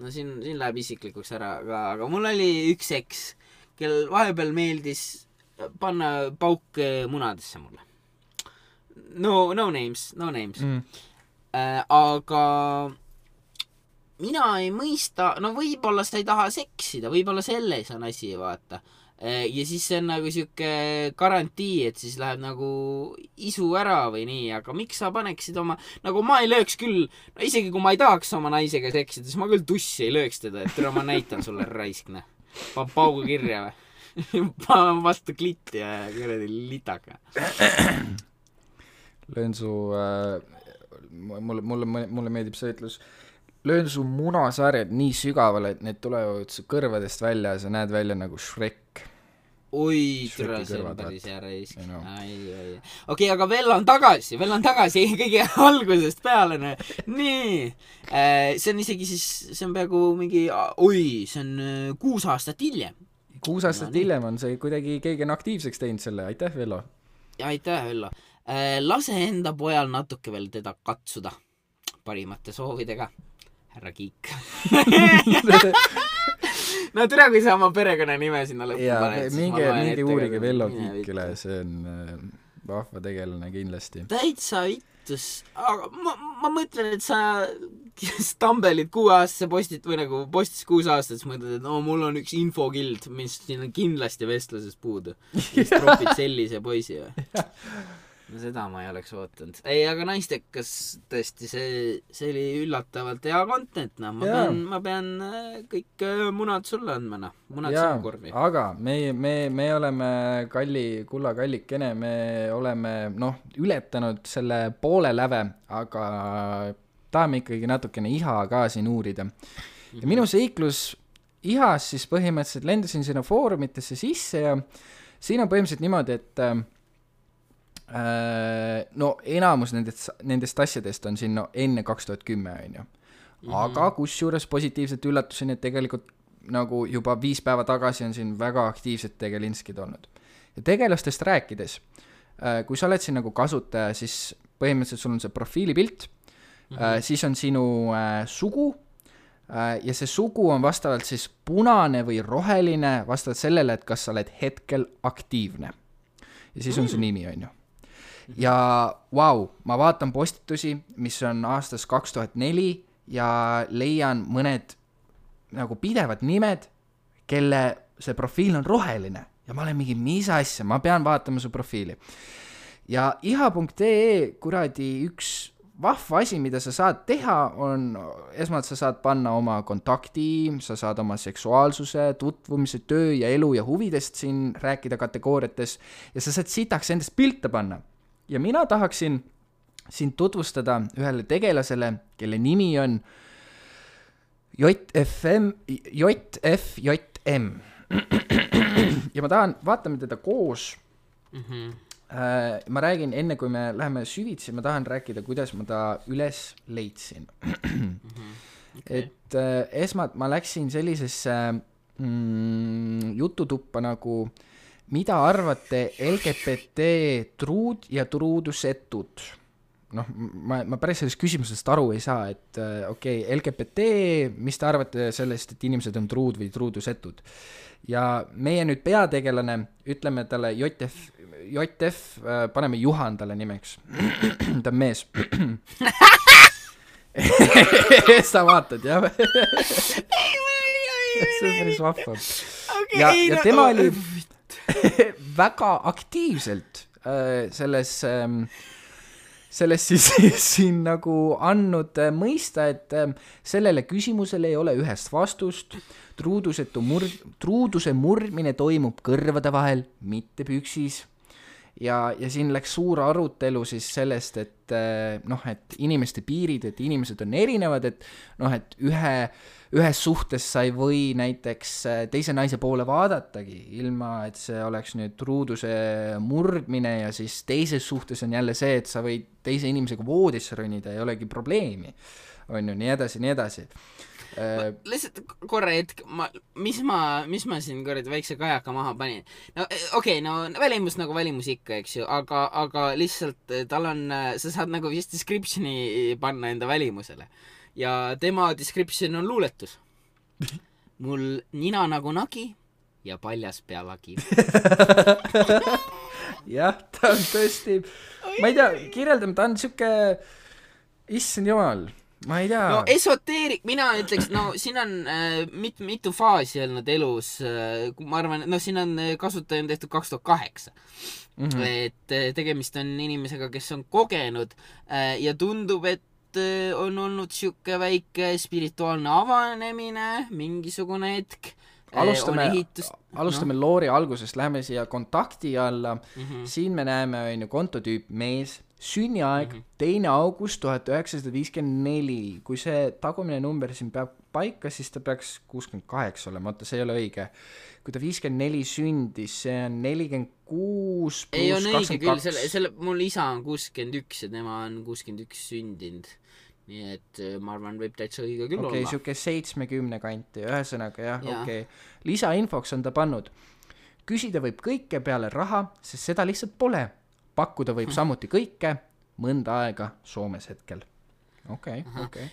no siin läheb isiklikuks ära, aga mul oli üks eks, kel vahepeal meeldis panna pauk munadesse mulle. No names. Aga mina ei mõista, võib-olla sa ei taha seksida, võib-olla selles on asi, vaata. Ja siis see on nagu siuke garantii, et siis läheb nagu isu ära või nii, aga miks sa paneksid oma, nagu ma ei lööks küll, isegi kui ma ei tahaks oma naisega seksida, siis ma küll tussi ei lööks teda, et ma näitan sulle raiskne. Pan paugu kirja või? Pan vastu klitti ja kuradi litaka. Löön su, mulle meeldib see ütlus, löön su munasarjad nii sügavale, et need tulevad su kõrvadest välja ja sa näed välja nagu Shrek. oi, Shreki see on kõrvad, päris hea reis. You know. Okei, aga Vello on tagasi kõige algusest peale. Nii, see on isegi siis, see on peaaegu mingi, see on 6 aastat hiljem. 6 aastat hiljem on see kuidagi keegi on aktiivseks teinud selle, aitäh Vello. Aitäh Vello. Lase enda pojal natuke veel teda katsuda parimate soovidega. Härra Kiik. No tere, kui sa oma perekonna nime sinna lõppu paned. Minge uurige Vello Kiikile, see on vahva tegelane kindlasti. Täitsa vittus, aga ma mõtlen, et sa stambelid 6 aastase postis 6 aastat, siis mõtled, et mul on üks infokild, mis siin on kindlasti vestluses puudu. Siis tropid sellise poisi või? No seda ma ei oleks ootanud. Ei, aga naistekas tõesti, see oli üllatavalt hea content, ma pean kõik munad sulle andma, munad sinu korvi. Aga me oleme kulla kallikene, me oleme ületanud selle poole läve, aga tahame ikkagi natukene iha ka siin uurida. Ja minu seiklus ihas siis põhimõtteliselt lendasin sinna foorumitesse sisse ja siin on põhimõtteliselt niimoodi, et enamus nendest asjadest on siin enne 2010 on ju. Aga kusjuures positiivselt üllatusin, et tegelikult nagu juba 5 päeva tagasi on siin väga aktiivsed tegelinskid olnud. Ja tegelastest rääkides, kui sa oled siin nagu kasutaja, siis põhimõtteliselt sul on see profiilipilt, siis on sinu sugu ja see sugu on vastavalt siis punane või roheline vastavalt sellele, et kas sa oled hetkel aktiivne. Ja siis on su nimi on ju. Ja ma vaatan postitusi, mis on aastast 2004 ja leian mõned nagu pidevad nimed, kelle see profiil on roheline ja ma olen mingi, mis asja, ma pean vaatama su profiili. Ja iha.ee kuradi üks vahva asi, mida sa saad teha, on esmalt sa saad panna oma kontakti, sa saad oma seksuaalsuse, tutvumise, töö ja elu ja huvidest siin rääkida kategooriates ja sa saad sitaks endast pilte panna. Ja mina tahaksin sind tutvustada ühele tegelasele, kelle nimi on JFM. Ja ma tahan, vaatame teda koos. Ma räägin, enne kui me läheme süvitsi, ma tahan rääkida, kuidas ma ta üles leidsin. Et esmalt ma läksin sellisesse jututuppa nagu mida arvate LGBT truud ja truudusetud? Ma päris sellest küsimusest aru ei saa, et LGBT, mis te arvate sellest, et inimesed on truud või truudusetud? Ja meie nüüd peategelane, ütleme talle JF, paneme Juhan talle nimeks. Ta on mees. Sa vaatad, jah? See on päris vahva. Ja tema oli väga aktiivselt selles siis siin nagu andnud mõista, et sellele küsimusele ei ole ühest vastust. Truuduse murdmine toimub kõrvade vahel, mitte püksis. Ja siin läks suur arutelu siis sellest, et inimeste piirid, et inimesed on erinevad, et ühes suhtes sa ei või näiteks teise naise poole vaadatagi, ilma et see oleks nüüd truuduse murdmine ja siis teises suhtes on jälle see, et sa võid teise inimesega voodisse ronida, ei olegi probleemi. On ju, nii edasi. Lihtsalt korra hetk, mis ma siin korrad väikse kajaka maha panin. No välimus nagu välimus ikka, eks ju, aga lihtsalt tal on, sa saad nagu vist descriptioni panna enda välimusele. Ja tema description on luuletus. Mul nina nagu nagi ja paljas pealagi. Jah, ta on tõesti, ma ei tea, kirjeldame, ta on siuke, issand jumal, ma ei tea. No esoteerik, mina ütleks, siin on mitu faasi olnud elus, ma arvan, siin on kasutaja on tehtud 2008. Et tegemist on inimesega, kes on kogenud ja tundub, et on olnud siuke väike spirituaalne avanemine, mingisugune hetk. Alustame loori algusest, läheme siia kontakti alla. Siin me näeme kontotüüp mees, sünniaeg 2. august 1954. Kui see tagumine number siin peab paika, siis ta peaks 68 olema, oota, see ei ole õige. Kui ta 54 sündis, see on 46 ei on pluss õige küll, 22. mul isa on 61 ja tema on 61 sündinud. Nii et ma arvan, võib täitsa õige küll Okei, olla. siuke 70 kanti, ühesõnaga jah, Jaa. okei. Lisainfoks on ta pannud. Küsida võib kõike peale raha, sest seda lihtsalt pole. Pakkuda võib samuti kõike, mõnda aega Soomes hetkel. Okei.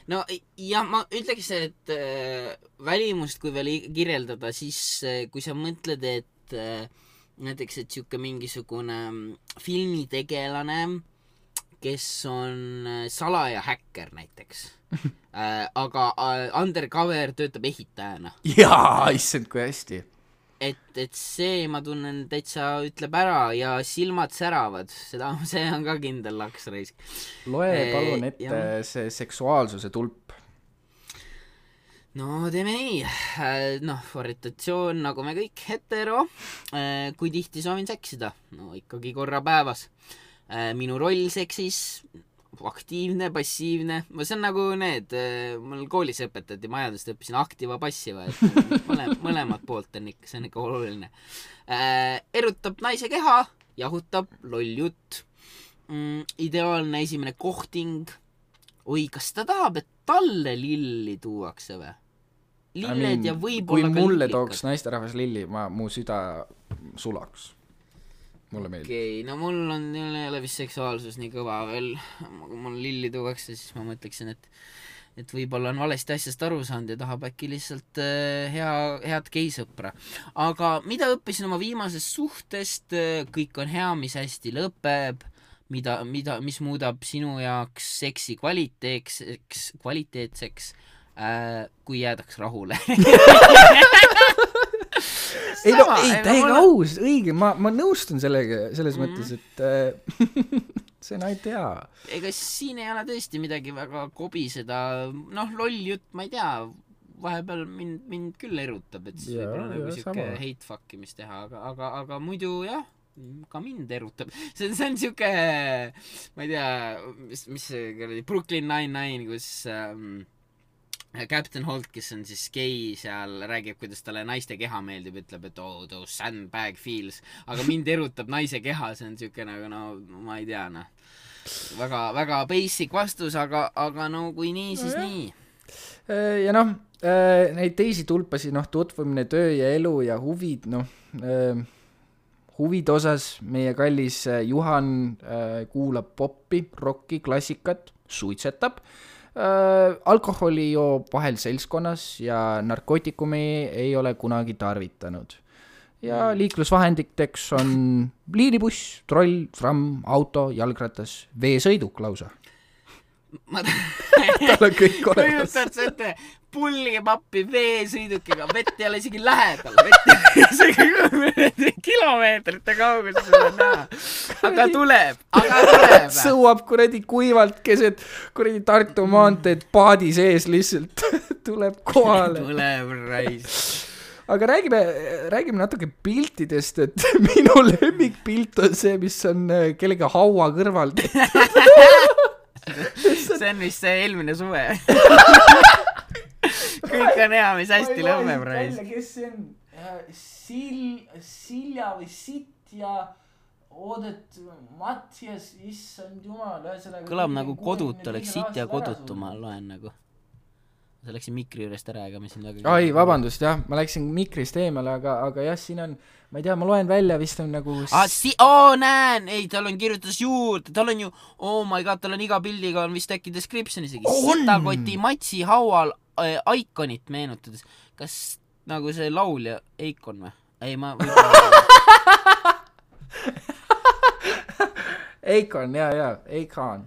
No jah, ma ütleks, et välimust kui veel kirjeldada, siis kui sa mõtled, et näiteks, et siuke mingisugune filmitegelane, kes on salaja häkker näiteks, aga undercover töötab ehitajana. Jaa, issand, kui hästi. Et see, ma tunnen, täitsa ütleb ära ja silmad säravad, see on ka kindel laksraisk. Loe palun ette see seksuaalsuse tulp. No teeme nii, orientatsioon nagu me kõik, hetero, kui tihti soovin seksida, no ikkagi korra päevas. Minu roll seksis, aktiivne, passiivne, see on nagu need, mul koolis õpetati, majandust õppisin aktiiva, passiva, et mõlemad poolt on ikka, see on ikka oluline. Erutab naise keha, jahutab, loll jutt, ideaalne esimene kohting. Oi, kas ta tahab, et talle lilli tuuakse või? Lilled ja võib-olla kui mulle tooks naisterahvas lilli, mu süda sulaks. Mulle meeldib. Okei, no mul ei ole vist seksuaalsus nii kõva veel. Kui mul lilli tuuakse, siis ma mõtleksin, et võib-olla on valesti asjast aru saanud ja tahab äkki lihtsalt head geisõpra. Aga mida õppisin oma viimasest suhtest, kõik on hea, mis hästi lõpeb, mis muudab sinu jaoks seksi kvaliteetseks, kui jäädaks rahule. täiega aus, õige, ma nõustun sellega, selles mõttes, et see on ainult hea. Ega siin ei ole tõesti midagi väga kobiseda, loll jutt, ma ei tea, vahepeal mind küll erutab, et siis võib-olla nagu siuke hate fuckimist teha, aga muidu jah, ka mind erutab. See on siuke, ma ei tea, mis see Brooklyn Nine-Nine, kus Captain Holt, kes on siis gei seal, räägib, kuidas talle naiste keha meeldib, ütleb, et those sandbag feels, aga mind erutab naise keha, see on siuke nagu, ma ei tea, väga, väga basic vastus, aga no kui nii, siis nii. Ja neid teisi tulpasi, tutvumine, töö ja elu ja huvid, huvide osas meie kallis Juhan kuulab poppi, rocki, klassikat, suitsetab, alkoholi joob vahel seltskonnas ja narkootikumi ei ole kunagi tarvitanud. Ja liiklusvahenditeks on liinibuss, troll, tramm, auto, jalgratas, veesõiduk lausa. Tal on kõik olemas. Kujutad sa ette, pulgipappi veesõidukiga, vett ei ole isegi lähedal, kilomeetrite kaugus seda näha. Aga tuleb. Sõuab kuradi kuivalt keset kuradi Tartu maanteed paadi sees lihtsalt tuleb kohale. Tuleb rais. Aga räägime natuke piltidest, et minu lemmikpilt on see, mis on kellega haua kõrval. See on vist see eelmine suve. Kõik on hea, mis hästi lõmmeb rais. Kes see on? Silja või Sitt ja Oodet Mattias, issand jumal. Kõlab nagu kodut oleks Sitt ja kodutu, ma loen nagu. Sa läksin mikri juurest ära, ega me siin väga... Ai, vabandust, jah, ma läksin mikrist eemale, aga jah, siin on, ma ei tea, ma loen välja, vist on nagu... näen, ei, tal on kirjutas juurde, tal on ju, oh my god, tal on iga pildiga on vist äkki description isegi. Sitakoti Matsi haual Iconit meenutades. Kas nagu see laulja Icon või? Ei, ma... Icon, jaa, Icon.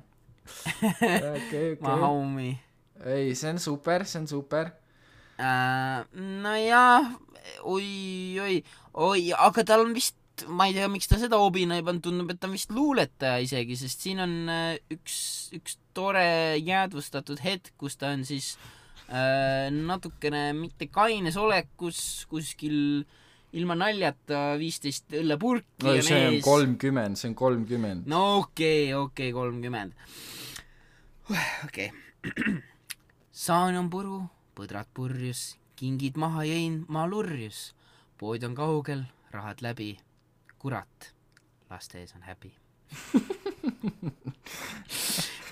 Okay. Ma homie. Ei, see on super. No jah, oi, aga tal on vist, ma ei tea, miks ta seda obina ei pannud, tundub, et ta on vist luuletaja isegi, sest siin on üks tore jäädvustatud hetk, kus ta on siis natukene mitte kaines olekus kuskil ilma naljata 15 õllepurki no, on see on ees. 30, see on 30. No okei, 30. Okei. Saan on puru, põdrad purjus, kingid maha jõin, ma lurjus. Pood on kaugel, rahad läbi. Kurat, laste ees on häbi.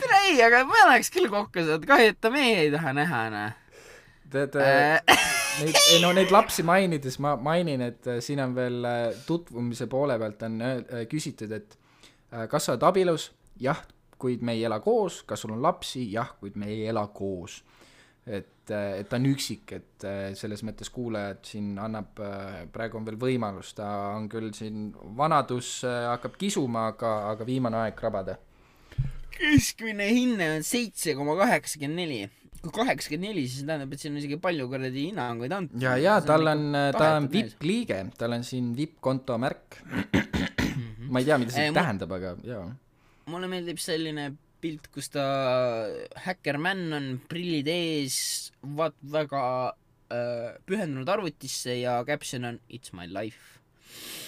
Tere ei, aga ma oleks küll kokku saanud, kahju, et ta meie ei taha näha, Tead, neid lapsi mainides ma mainin, et siin on veel tutvumise poole pealt on küsitud, et kas sa oled abielus? Jah, kuid me ei ela koos. Kas sul on lapsi? Jah, kuid me ei ela koos. Et ta on üksik, et selles mõttes kuulajad siin annab, praegu on veel võimalus, ta on küll siin vanadus hakkab kisuma, aga viimane aeg krabada. Keskmine hinne on 7,84. Kui 84, siis tähendab, et siin on isegi palju korradi hinnanguid antud. Ja ta on VIP-liige, tal on siin VIP-konto märk. Ma ei tea, mida see tähendab, aga jaa. Mulle meeldib selline pilt, kus ta häkkermänn on, prillid ees, väga pühendunud arvutisse ja caption on It's my life.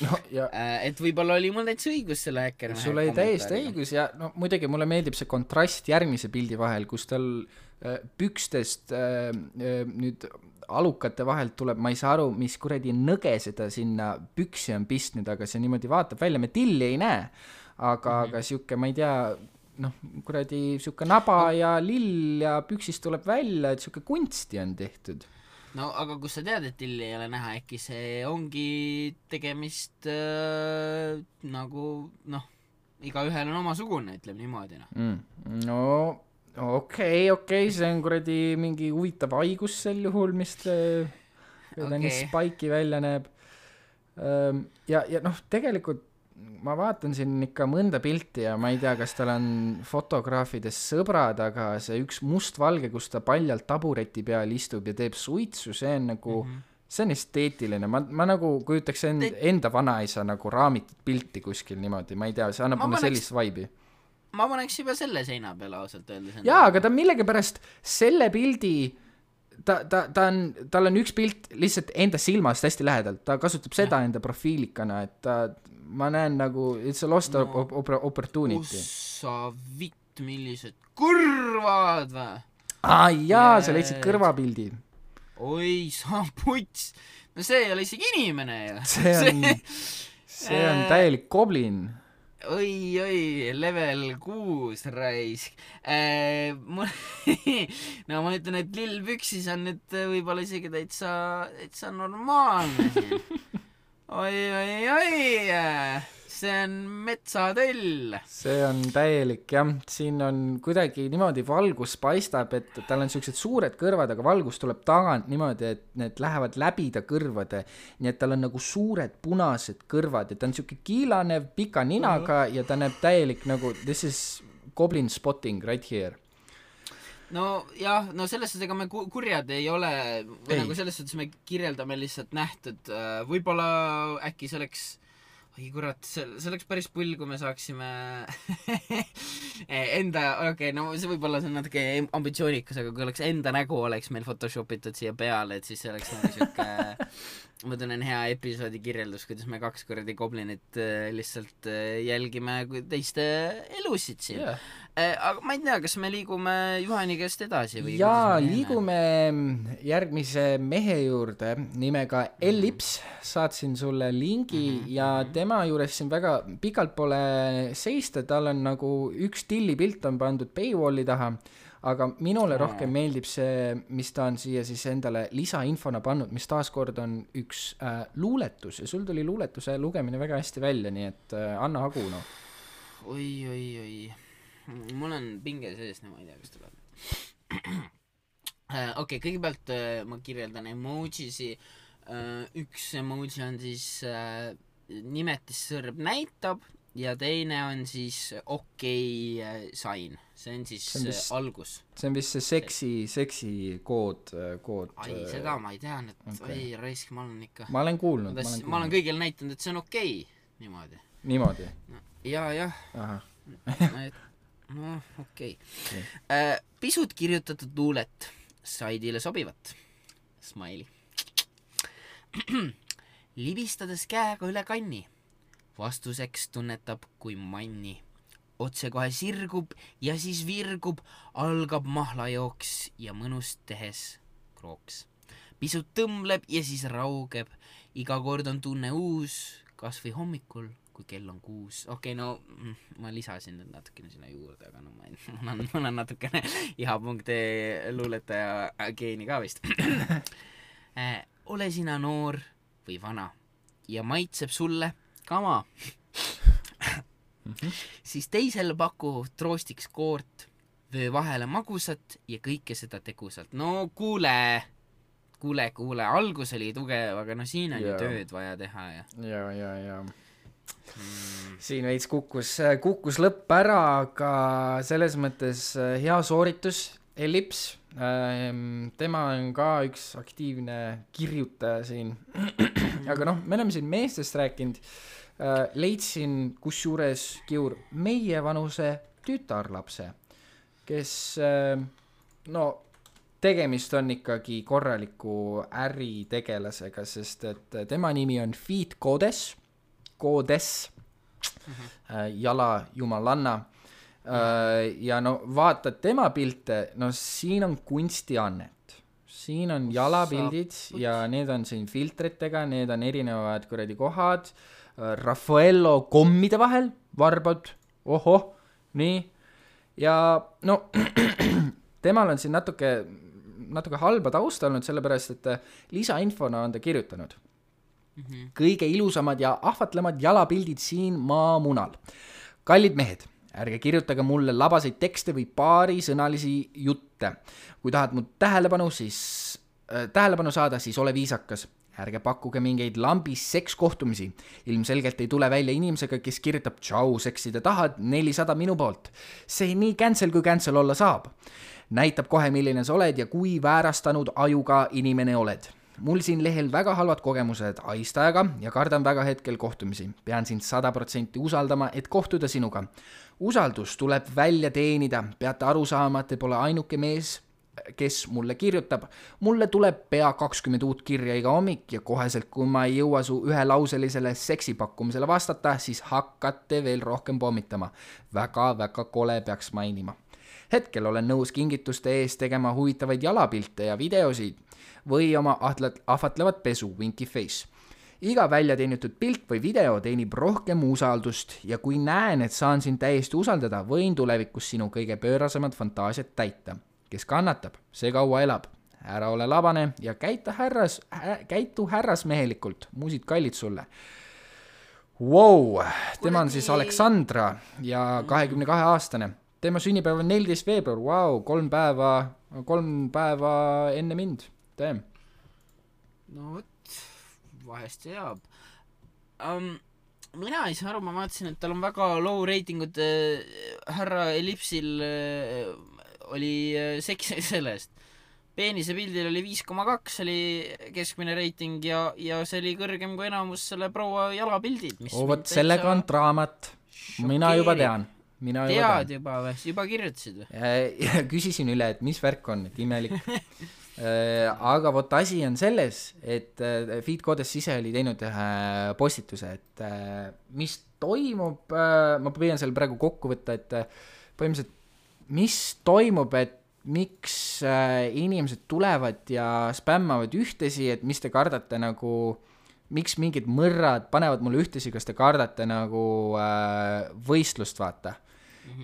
No, ja et võib-olla oli mul täitsa õigus selle häkkermänn. Sul oli täiesti õigus ja no muidugi mulle meeldib see kontrast järgmise pildi vahel, kus tal pükstest nüüd alukate vahelt tuleb, ma ei saa aru, mis kuradi nõge seda sinna püksi on pistnud, aga see niimoodi vaatab välja, me tilli ei näe, aga siuke, ma ei tea, noh, kuradi siuke naba ja lill ja püksist tuleb välja, et siuke kunsti on tehtud. No aga kus sa tead, et tilli ei ole näha, äkki see ongi tegemist nagu, noh, igaühel on omasugune, ütleb niimoodi. No okei, see on kuradi mingi huvitav haigus sel juhul, mis ta nii spaiki välja näeb. Ja noh, tegelikult ma vaatan siin ikka mõnda pilti ja ma ei tea, kas tal on fotograafides sõbrad, aga see üks mustvalge, kus ta paljalt tabureti peal istub ja teeb suitsu, see on nagu, see on esteetiline. Ma nagu kujutaks enda vanaisa nagu raamitud pilti kuskil niimoodi, ma ei tea, see annab mulle sellist vaibi. Ma paneks juba selle seina peale ausalt öeldes. Jaa, aga ta millegipärast selle pildi, tal on üks pilt lihtsalt enda silmast hästi lähedalt, ta kasutab seda enda profiilikana, et ma näen nagu, it's a lost opportunity. Kus sa vitt, millised kõrvad või? Jaa, sa leidsid kõrvapildi. Oi, sa puts. No see ei ole isegi inimene ju. See on täielik goblin. Oi, level 6 raisk. No ma ütlen, et lill püksis on nüüd võib-olla isegi täitsa normaalne siin. Oi, see on metsatöll. See on täielik, jah. Siin on kuidagi niimoodi valgus paistab, et tal on sellised suured kõrvad, aga valgus tuleb tagant niimoodi, et need lähevad läbi ta kõrvade. Nii et tal on nagu suured punased kõrvad ja ta on siuke kiilanev pika ninaga ja ta näeb täielik nagu, this is goblin spotting right here. No jah, no selles suhtes, ega me kurjad ei ole, või nagu selles suhtes me kirjeldame lihtsalt nähtud, võib-olla äkki see oleks, oi kurat, see oleks päris pull, kui me saaksime enda, no see võib-olla see on natuke ambitsioonikas, aga kui oleks enda nägu oleks meil photoshopitud siia peale, et siis see oleks nagu siuke, ma tunnen hea episoodi kirjeldus, kuidas me 2 kordi goblinit lihtsalt jälgime teiste elusid siin. Aga ma ei tea, kas me liigume Juhani käest edasi või? Jaa, liigume järgmise mehe juurde nimega Ellips, saatsin sulle lingi ja tema juures siin väga pikalt pole seista, tal on nagu üks tillipilt on pandud paywalli taha, aga minule rohkem meeldib see, mis ta on siia siis endale lisainfona pannud, mis taaskord on üks luuletus ja sul tuli luuletuse lugemine väga hästi välja, nii et anna hagu, no. Oi. Mul on pinge sees, ma ei tea, kas tuleb. Okei, kõigepealt ma kirjeldan emojisi. Üks emoji on siis nimetissõrb näitab ja teine on siis sign. See on siis algus. See on vist see seksi kood. Ai, seda ma ei tean, et oi, raisk, ma olen ikka. Ma olen kuulnud. Ma olen kõigil näitanud, et see on niimoodi. Niimoodi? Jah. No, okei. Pisut kirjutatud luulet saidile sobivat. Smiley. libistades käega üle kanni. Vastuseks tunnetab kui manni. Otse kohe sirgub ja siis virgub, algab mahlajooks ja mõnust tehes krooks. Pisut tõmbleb ja siis raugeb, iga kord on tunne uus, kas või hommikul, kui kell on 6. Okei, no ma lisasin nüüd natukene sinna juurde, aga no mul on natukene iha.ee luuletaja geeni ka vist. Ole sina noor või vana ja maitseb sulle kama. Siis teisel paku troostiks koort, vöö vahele magusat ja kõike seda tegusalt. No kuule, algus oli tugev, aga no siin on ju tööd vaja teha ja. Siin veits kukkus lõpp ära, aga selles mõttes hea sooritus, Ellips. Tema on ka üks aktiivne kirjutaja siin. Aga noh, me oleme siin meestest rääkinud. Leidsin kusjuures Kiur meie vanuse tütarlapse, kes tegemist on ikkagi korraliku äritegelasega, sest et tema nimi on Feet Goddess, jala jumalanna. Ja no vaatad tema pilte, no siin on kunstiannet. Siin on jalapildid ja need on siin filtritega, need on erinevad kuradi kohad, Raffaello kommide vahel, varbad, ohoh, nii. Ja no temal on siin natuke halba tausta olnud, sellepärast, et lisainfona on ta kirjutanud. Kõige ilusamad ja ahvatlemad jalapildid siin maamunal. Kallid mehed, ärge kirjutage mulle labaseid tekste või paarisõnalisi jutte. Kui tahad mu tähelepanu saada, siis ole viisakas. Ärge pakkuge mingeid lambis sekskohtumisi. Ilmselgelt ei tule välja inimesega, kes kirjutab tšau, seksida tahad 400 minu poolt. See nii cancel kui cancel olla saab. Näitab kohe, milline sa oled ja kui väärastanud ajuga inimene oled. Mul siin lehel väga halvad kogemused aistajaga ja kardan väga hetkel kohtumisi. Pean sind 100% usaldama, et kohtuda sinuga. Usaldus tuleb välja teenida. Peate aru saama, et te pole ainuke mees, kes mulle kirjutab. Mulle tuleb pea 20 uut kirja iga hommik ja koheselt, kui ma ei jõua su ühelauselisele seksipakkumisele vastata, siis hakkate veel rohkem pommitama. Väga kole peaks mainima. Hetkel olen nõus kingituste ees tegema huvitavaid jalapilte ja videosid või oma ahvatlevat pesu, winky face. Iga välja teenitud pilt või video teenib rohkem usaldust ja kui näen, et saan sind täiesti usaldada, võin tulevikus sinu kõige pöörasemad fantaasiat täita. Kes kannatab, see kaua elab. Ära ole labane ja käitu härrasmehelikult. Muusid kallid sulle. Wow, tema on siis Aleksandra ja 22-aastane. Tema sünnipäev on 14 veebruar. Wow, 3 päeva enne mind. Teem. No võt, vahest jääb. Mina ei saa aru, ma vaatasin, et tal on väga low ratingud. Härra Ellipsil oli seks sellest. Peenise pildil oli 5,2 oli keskmine reiting ja see oli kõrgem kui enamus selle proua jalapildid. Võt, sellega on draamat. Mina juba tean. Tead juba või? Juba kirjutasid või? Küsisin üle, et mis värk on, et imelik. Aga võt asi on selles, et Feet Goddess ise oli teinud postituse, et mis toimub, ma püüan seal praegu kokku võtta, et põhimõtteliselt mis toimub, et miks inimesed tulevad ja spämmavad ühtesi, et mis te kardate nagu, miks mingid mõrrad panevad mulle ühtesi, kas te kardate nagu võistlust vaata.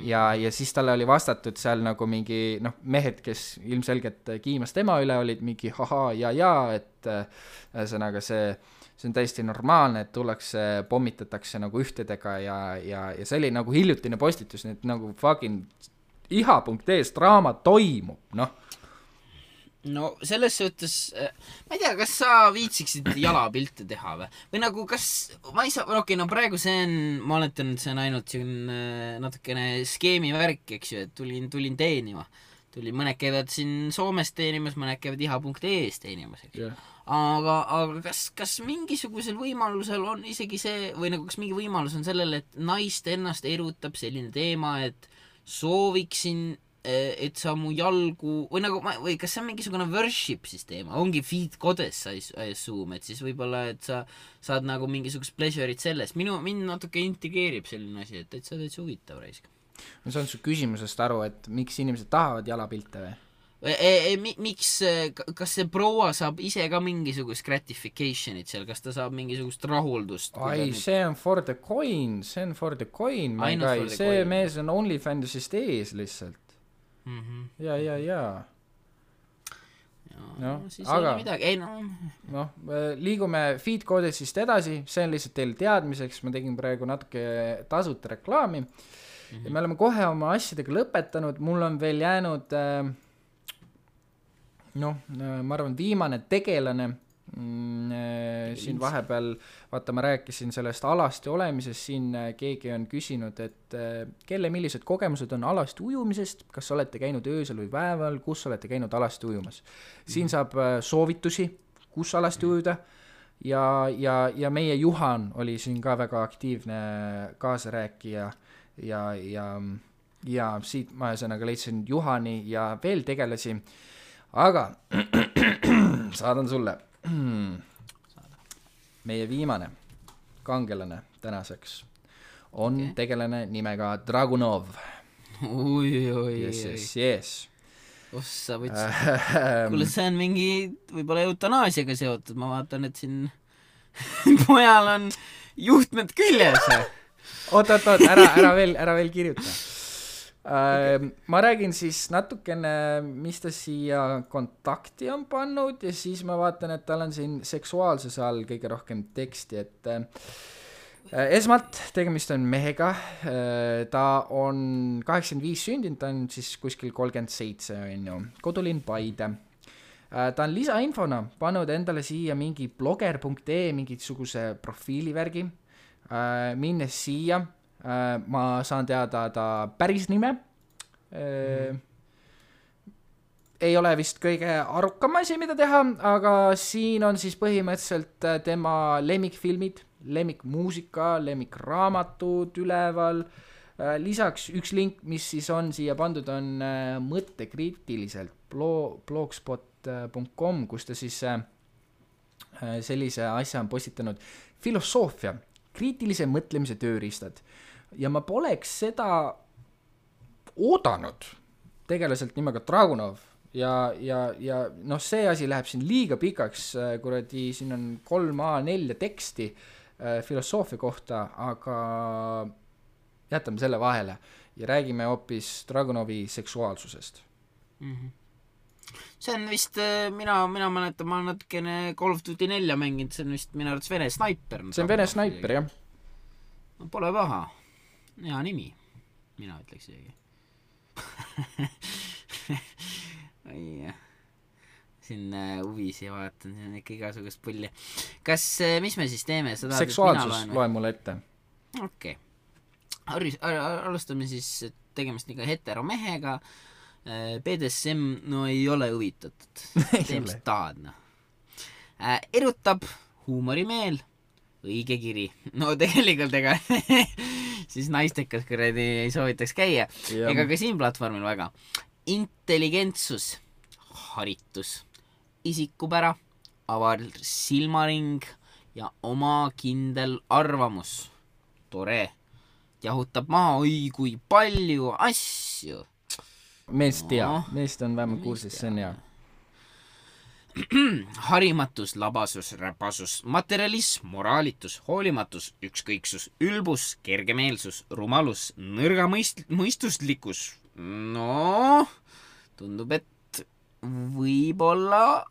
Ja siis talle oli vastatud seal nagu mingi mehed, kes ilmselgelt kiimas tema üle olid mingi haha ja, et ühesõnaga see on täiesti normaalne, et tullakse, pommitatakse nagu ühtedega ja see oli nagu hiljutine postitus, nii et nagu fucking iha.ee draama toimub, No selles suhtes, ma ei tea, kas sa viitsiksid jalapilte teha või nagu kas, ma ei saa, no praegu see on, ma oletan, et see on ainult natukene skeemi värk, eks ju, et tulin teenima. Mõned käivad siin Soomes teenimas, mõned käivad iha.ee-s teenimas, eks ju. Aga kas mingisugusel võimalusel on isegi see, või nagu kas mingi võimalus on sellele, et naist ennast erutab selline teema, et sooviksin et sa mu jalgu või nagu või kas see on mingisugune worship siis teema, ongi feed goddess I assume, et siis võib-olla, et sa saad nagu mingisugust pleasure'it sellest, mind natuke intrigeerib selline asi, et täitsa huvitav raisk. ma saan su küsimusest aru, et miks inimesed tahavad jalapilte või? Miks, kas see proua saab ise ka mingisugust gratification'it seal, kas ta saab mingisugust rahuldust? Ai, see on for the coin, my guy, see mees on OnlyFansist ees lihtsalt. Ja. No, siis aga ei midagi, liigume feed koodesist edasi, see on lihtsalt teil teadmiseks, ma tegin praegu natuke tasuta reklaami ja me oleme kohe oma asjadega lõpetanud, mul on veel jäänud ma arvan viimane tegelane siin vahepeal, vaata ma rääkisin sellest alasti olemisest, siin keegi on küsinud, et millised kogemused on alasti ujumisest, kas olete käinud öösel või päeval, kus olete käinud alasti ujumas. Siin saab soovitusi, kus alasti ujuda ja meie Juhan oli siin ka väga aktiivne kaasarääkija ja siit ma ühesõnaga leidsin Juhani ja veel tegelasi, aga saadan sulle meie viimane kangelane tänaseks on tegelane nimega Dragunov. Yes. Ossa võtsin. Kuule, see on mingi võib-olla eutanaasiaga seotud, ma vaatan, et siin pojal on juhtmed küljes. Oot, ära veel kirjuta. Ma räägin siis natukene, mis ta siia kontakti on pannud ja siis ma vaatan, et tal on siin seksuaalsuse all kõige rohkem teksti, et esmalt tegemist on mehega, ta on 85 sündinud, ta on siis kuskil 37 on ju, kodulinn Paide. Ta on lisainfona pannud endale siia mingi blogger.ee mingisuguse profiilivärgi, minnes siia ma saan teada ta päris nime. Ei ole vist kõige arukam asi, mida teha, aga siin on siis põhimõtteliselt tema lemmikfilmid, lemmikmuusika, lemmikraamatud üleval. Lisaks üks link, mis siis on siia pandud, on mõttekriitiliselt blogspot.com, kus ta siis sellise asja on postitanud filosoofia, kriitilise mõtlemise tööriistad. Ja ma poleks seda oodanud tegelaselt nimega Dragunov ja see asi läheb siin liiga pikaks, kuradi siin on 3A4 teksti filosoofia kohta, aga jätame selle vahele ja räägime hoopis Dragunovi seksuaalsusest. See on vist, mina mäletan, ma natukene Call of Duty 4 mänginud, see on vist minu arvates Vene Sniper. See on Vene Sniper, jah. Pole paha. Hea nimi, mina ütleks isegi. Siin huvisi vaatan, siin on ikka igasugust pulli. Mis me siis teeme? Seksuaalsus loe mulle ette. Okei. Alustame siis tegemist niga heteromehega. BDSM, no ei ole huvitatud. Tee mis tahad, no. Erutab, huumorimeel, õige kiri. No tegelikult siis naistekas kuradi ei soovitaks käia. Ega ka siin platvormil väga. Intelligentsus, haritus, isikupära, avar silmaring ja oma kindel arvamus. Tore. Jahutab maha, oi kui palju asju. Meest on vähemalt kursis, see on hea. Harimatus, labasus, räpasus, materialism, moraalitus, hoolimatus, ükskõiksus, ülbus, kergemeelsus, rumalus, nõrga mõistuslikkus. No, tundub, et võib-olla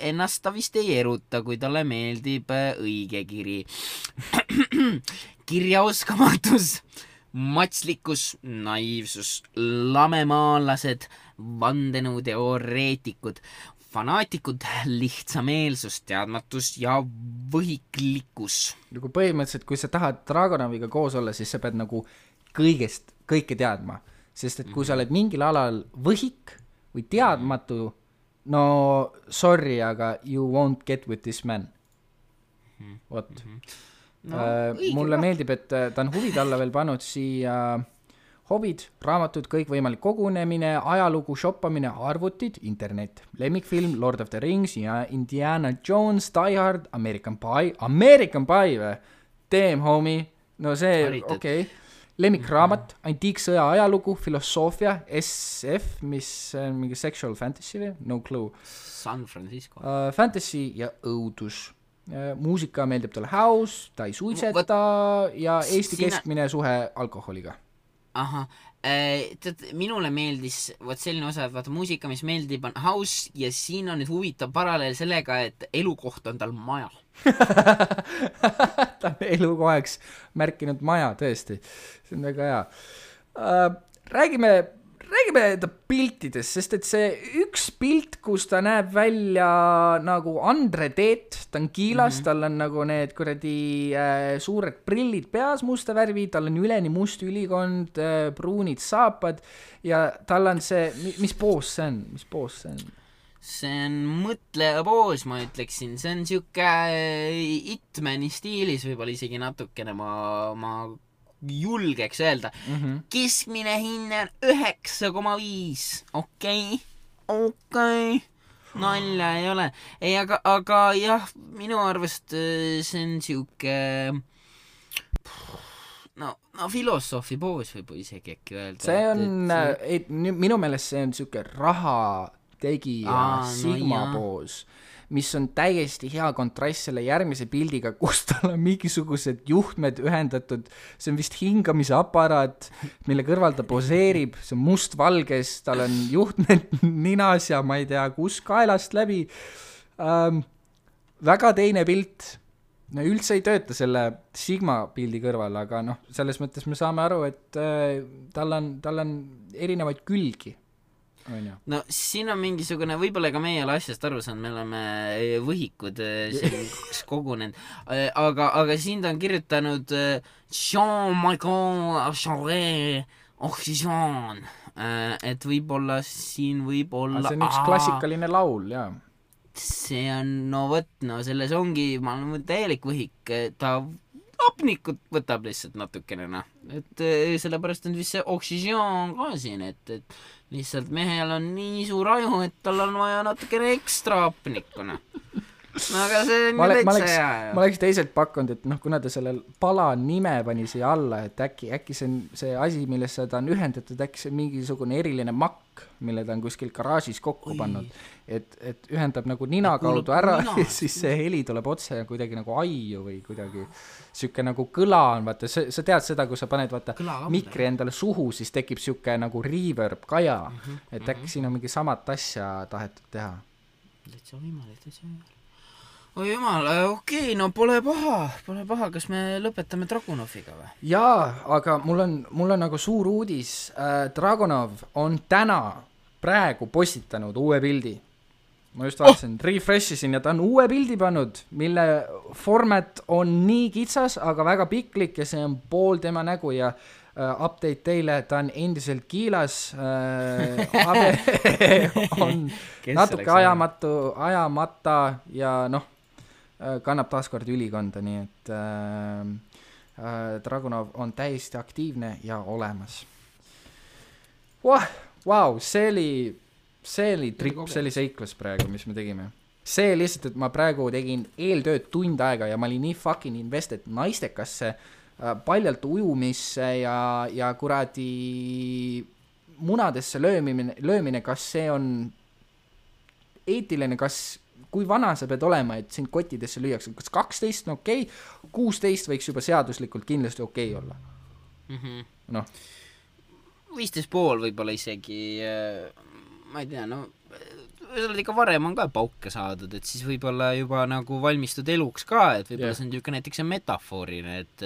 ennast ta vist ei eruta, kui talle meeldib õige kiri. Kirjaoskamatus, matslikkus, naiivsus, lamemaalased, vandenõuteoreetikud, fanaatikud, lihtsameelsus, teadmatus ja võhiklikkus. Nagu põhimõtteliselt, kui sa tahad Dragunoviga koos olla, siis sa pead nagu kõike teadma. Sest et kui sa oled mingil alal võhik või teadmatu, no sorry, aga you won't get with this man. Vot. No, mulle meeldib, et ta on huvid alla veel pannud siia hobid, raamatud, kõikvõimalik kogunemine, ajalugu, shoppamine, arvutid, internet, lemmikfilm Lord of the Rings ja Indiana Jones, Die Hard, American Pie või? Damn, homie, no see, okei. Lemmikraamat, antiiksõja ajalugu, filosoofia, SF, mis on mingi sexual fantasy või? No clue. San Francisco. Fantasy ja õudus. Muusika meeldib talle house, ta ei suitseta ja Eesti keskmine suhe alkoholiga. Ahah, minule meeldis selline osa, et vaata muusika, mis meeldib, on house ja siin on nüüd huvitav paralleel sellega, et elukoht on tal maja. Ta on elukohaks märkinud maja, tõesti. See on väga hea. Räägime ta piltidest, sest et see üks pilt, kus ta näeb välja nagu Andre Teet, ta on kiilas, tal on nagu need kuradi suured prillid peas, musta värvi, tal on üleni must ülikond, pruunid saapad ja tal on see, mis poos see on? See on mõtleja poos, ma ütleksin, see on siuke Hitmani stiilis võib-olla isegi natukene, ma julgeks öelda. Keskmine hinne on 9,5. Okei. Nalja ei ole. Ei, aga jah, minu arvast see on siuke no filosoofi poos võib isegi äkki öelda. See on, minu meelest see on siuke raha tegija Sigma poos, mis on täiesti hea kontrast selle järgmise pildiga, kus tal on mingisugused juhtmed ühendatud, see on vist hingamise aparaat, mille kõrval ta poseerib, see on mustvalges, tal on juhtmed ninas ja ma ei tea, kus kaelast läbi. Väga teine pilt, no üldse ei tööta selle Sigma pildi kõrval, aga noh, selles mõttes me saame aru, et tal on erinevaid külgi. No siin on mingisugune, võib-olla ka meie ole asjast aru saanud, me oleme võhikud siin kogunenud, aga siin ta on kirjutanud Jean-Michel Charest Oxygen, et võib-olla siin võib-olla see on üks klassikaline laul, jaa. See on, selles ongi, ma olen täielik võhik, ta apnikut võtab lihtsalt natukene, et sellepärast on vist see Oxygen ka siin, et lihtsalt mehel on nii suur aju, et tal on vaja natukene ekstra apnikuna. No aga see on täitsa hea. Ma oleks teiselt pakkunud, et kuna ta selle pala nime pani siia alla, et äkki see on see asi, millesse ta on ühendatud, äkki see on mingisugune eriline makk, mille ta on kuskil garaažis kokku pannud, et ühendab nagu nina kaudu ära ja siis see heli tuleb otse kuidagi nagu aiu või kuidagi siuke nagu kõla on, vaata, sa tead seda, kui sa paned mikri endale suhu, siis tekib siuke nagu reverb kaja, et äkki siin on mingi samat asja tahetud teha. Täitsa võimalik. Oi jumal, okei, no pole paha, kas me lõpetame Dragunoviga või? Jaa, aga mul on nagu suur uudis. Dragunov on praegu postitanud uue pildi. Ma just vaatasin, refreshisin ja ta on uue pildi pannud, mille format on nii kitsas, aga väga piklik ja see on pool tema nägu ja update teile, ta on endiselt kiilas, on natuke ajamata ja kannab taaskord ülikonda, nii et Dragunov on täiesti aktiivne ja olemas. Wow, see oli trip, see oli seiklus praegu, mis me tegime. See lihtsalt, et ma praegu tegin eeltööd tund aega ja ma olin nii fucking invested naistekasse, paljalt ujumisse ja kuradi munadesse löömine, kas see on eetiline, kui vana sa pead olema, et sind kottidesse lüüakse, kas 12 on okei, 16 võiks juba seaduslikult kindlasti okei olla. Noh. 15,5 võib-olla isegi, ma ei tea, ikka varem on ka pauke saadud, et siis võib-olla juba nagu valmistud eluks ka, et võib-olla see on niisugune näiteks metafoorine, et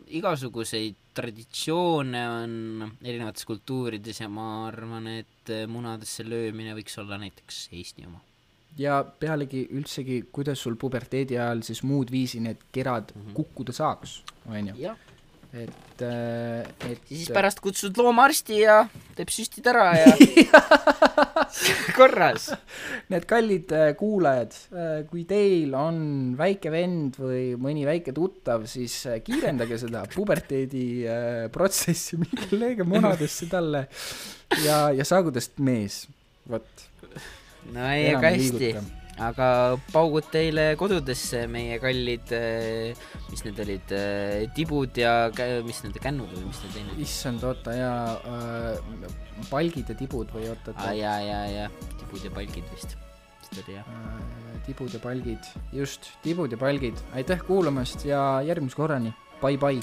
igasuguseid traditsioone on erinevates kultuurides ja ma arvan, et munadesse löömine võiks olla näiteks Eesti oma. Ja pealegi üldsegi, kuidas sul puberteedi ajal siis muud viisi need kerad kukkuda saaks, on ju? et siis pärast kutsud loomaarsti ja teeb süstid ära ja korras. Need kallid kuulajad, kui teil on väike vend või mõni väike tuttav, siis kiirendage seda puberteedi protsessi, minge lööge munadesse talle ja saagu tast mees. Vot. No ei, aga hästi. Aga paugud teile kodudesse meie kallid, mis need olid, tibud ja mis need kännud või mis need teinud? Issand, oota, ja palgid ja tibud või oota. Ja, tibud ja palgid vist. Tibud ja palgid, just, tibud ja palgid. Aitäh kuulamast ja järgmise korrani. Bye.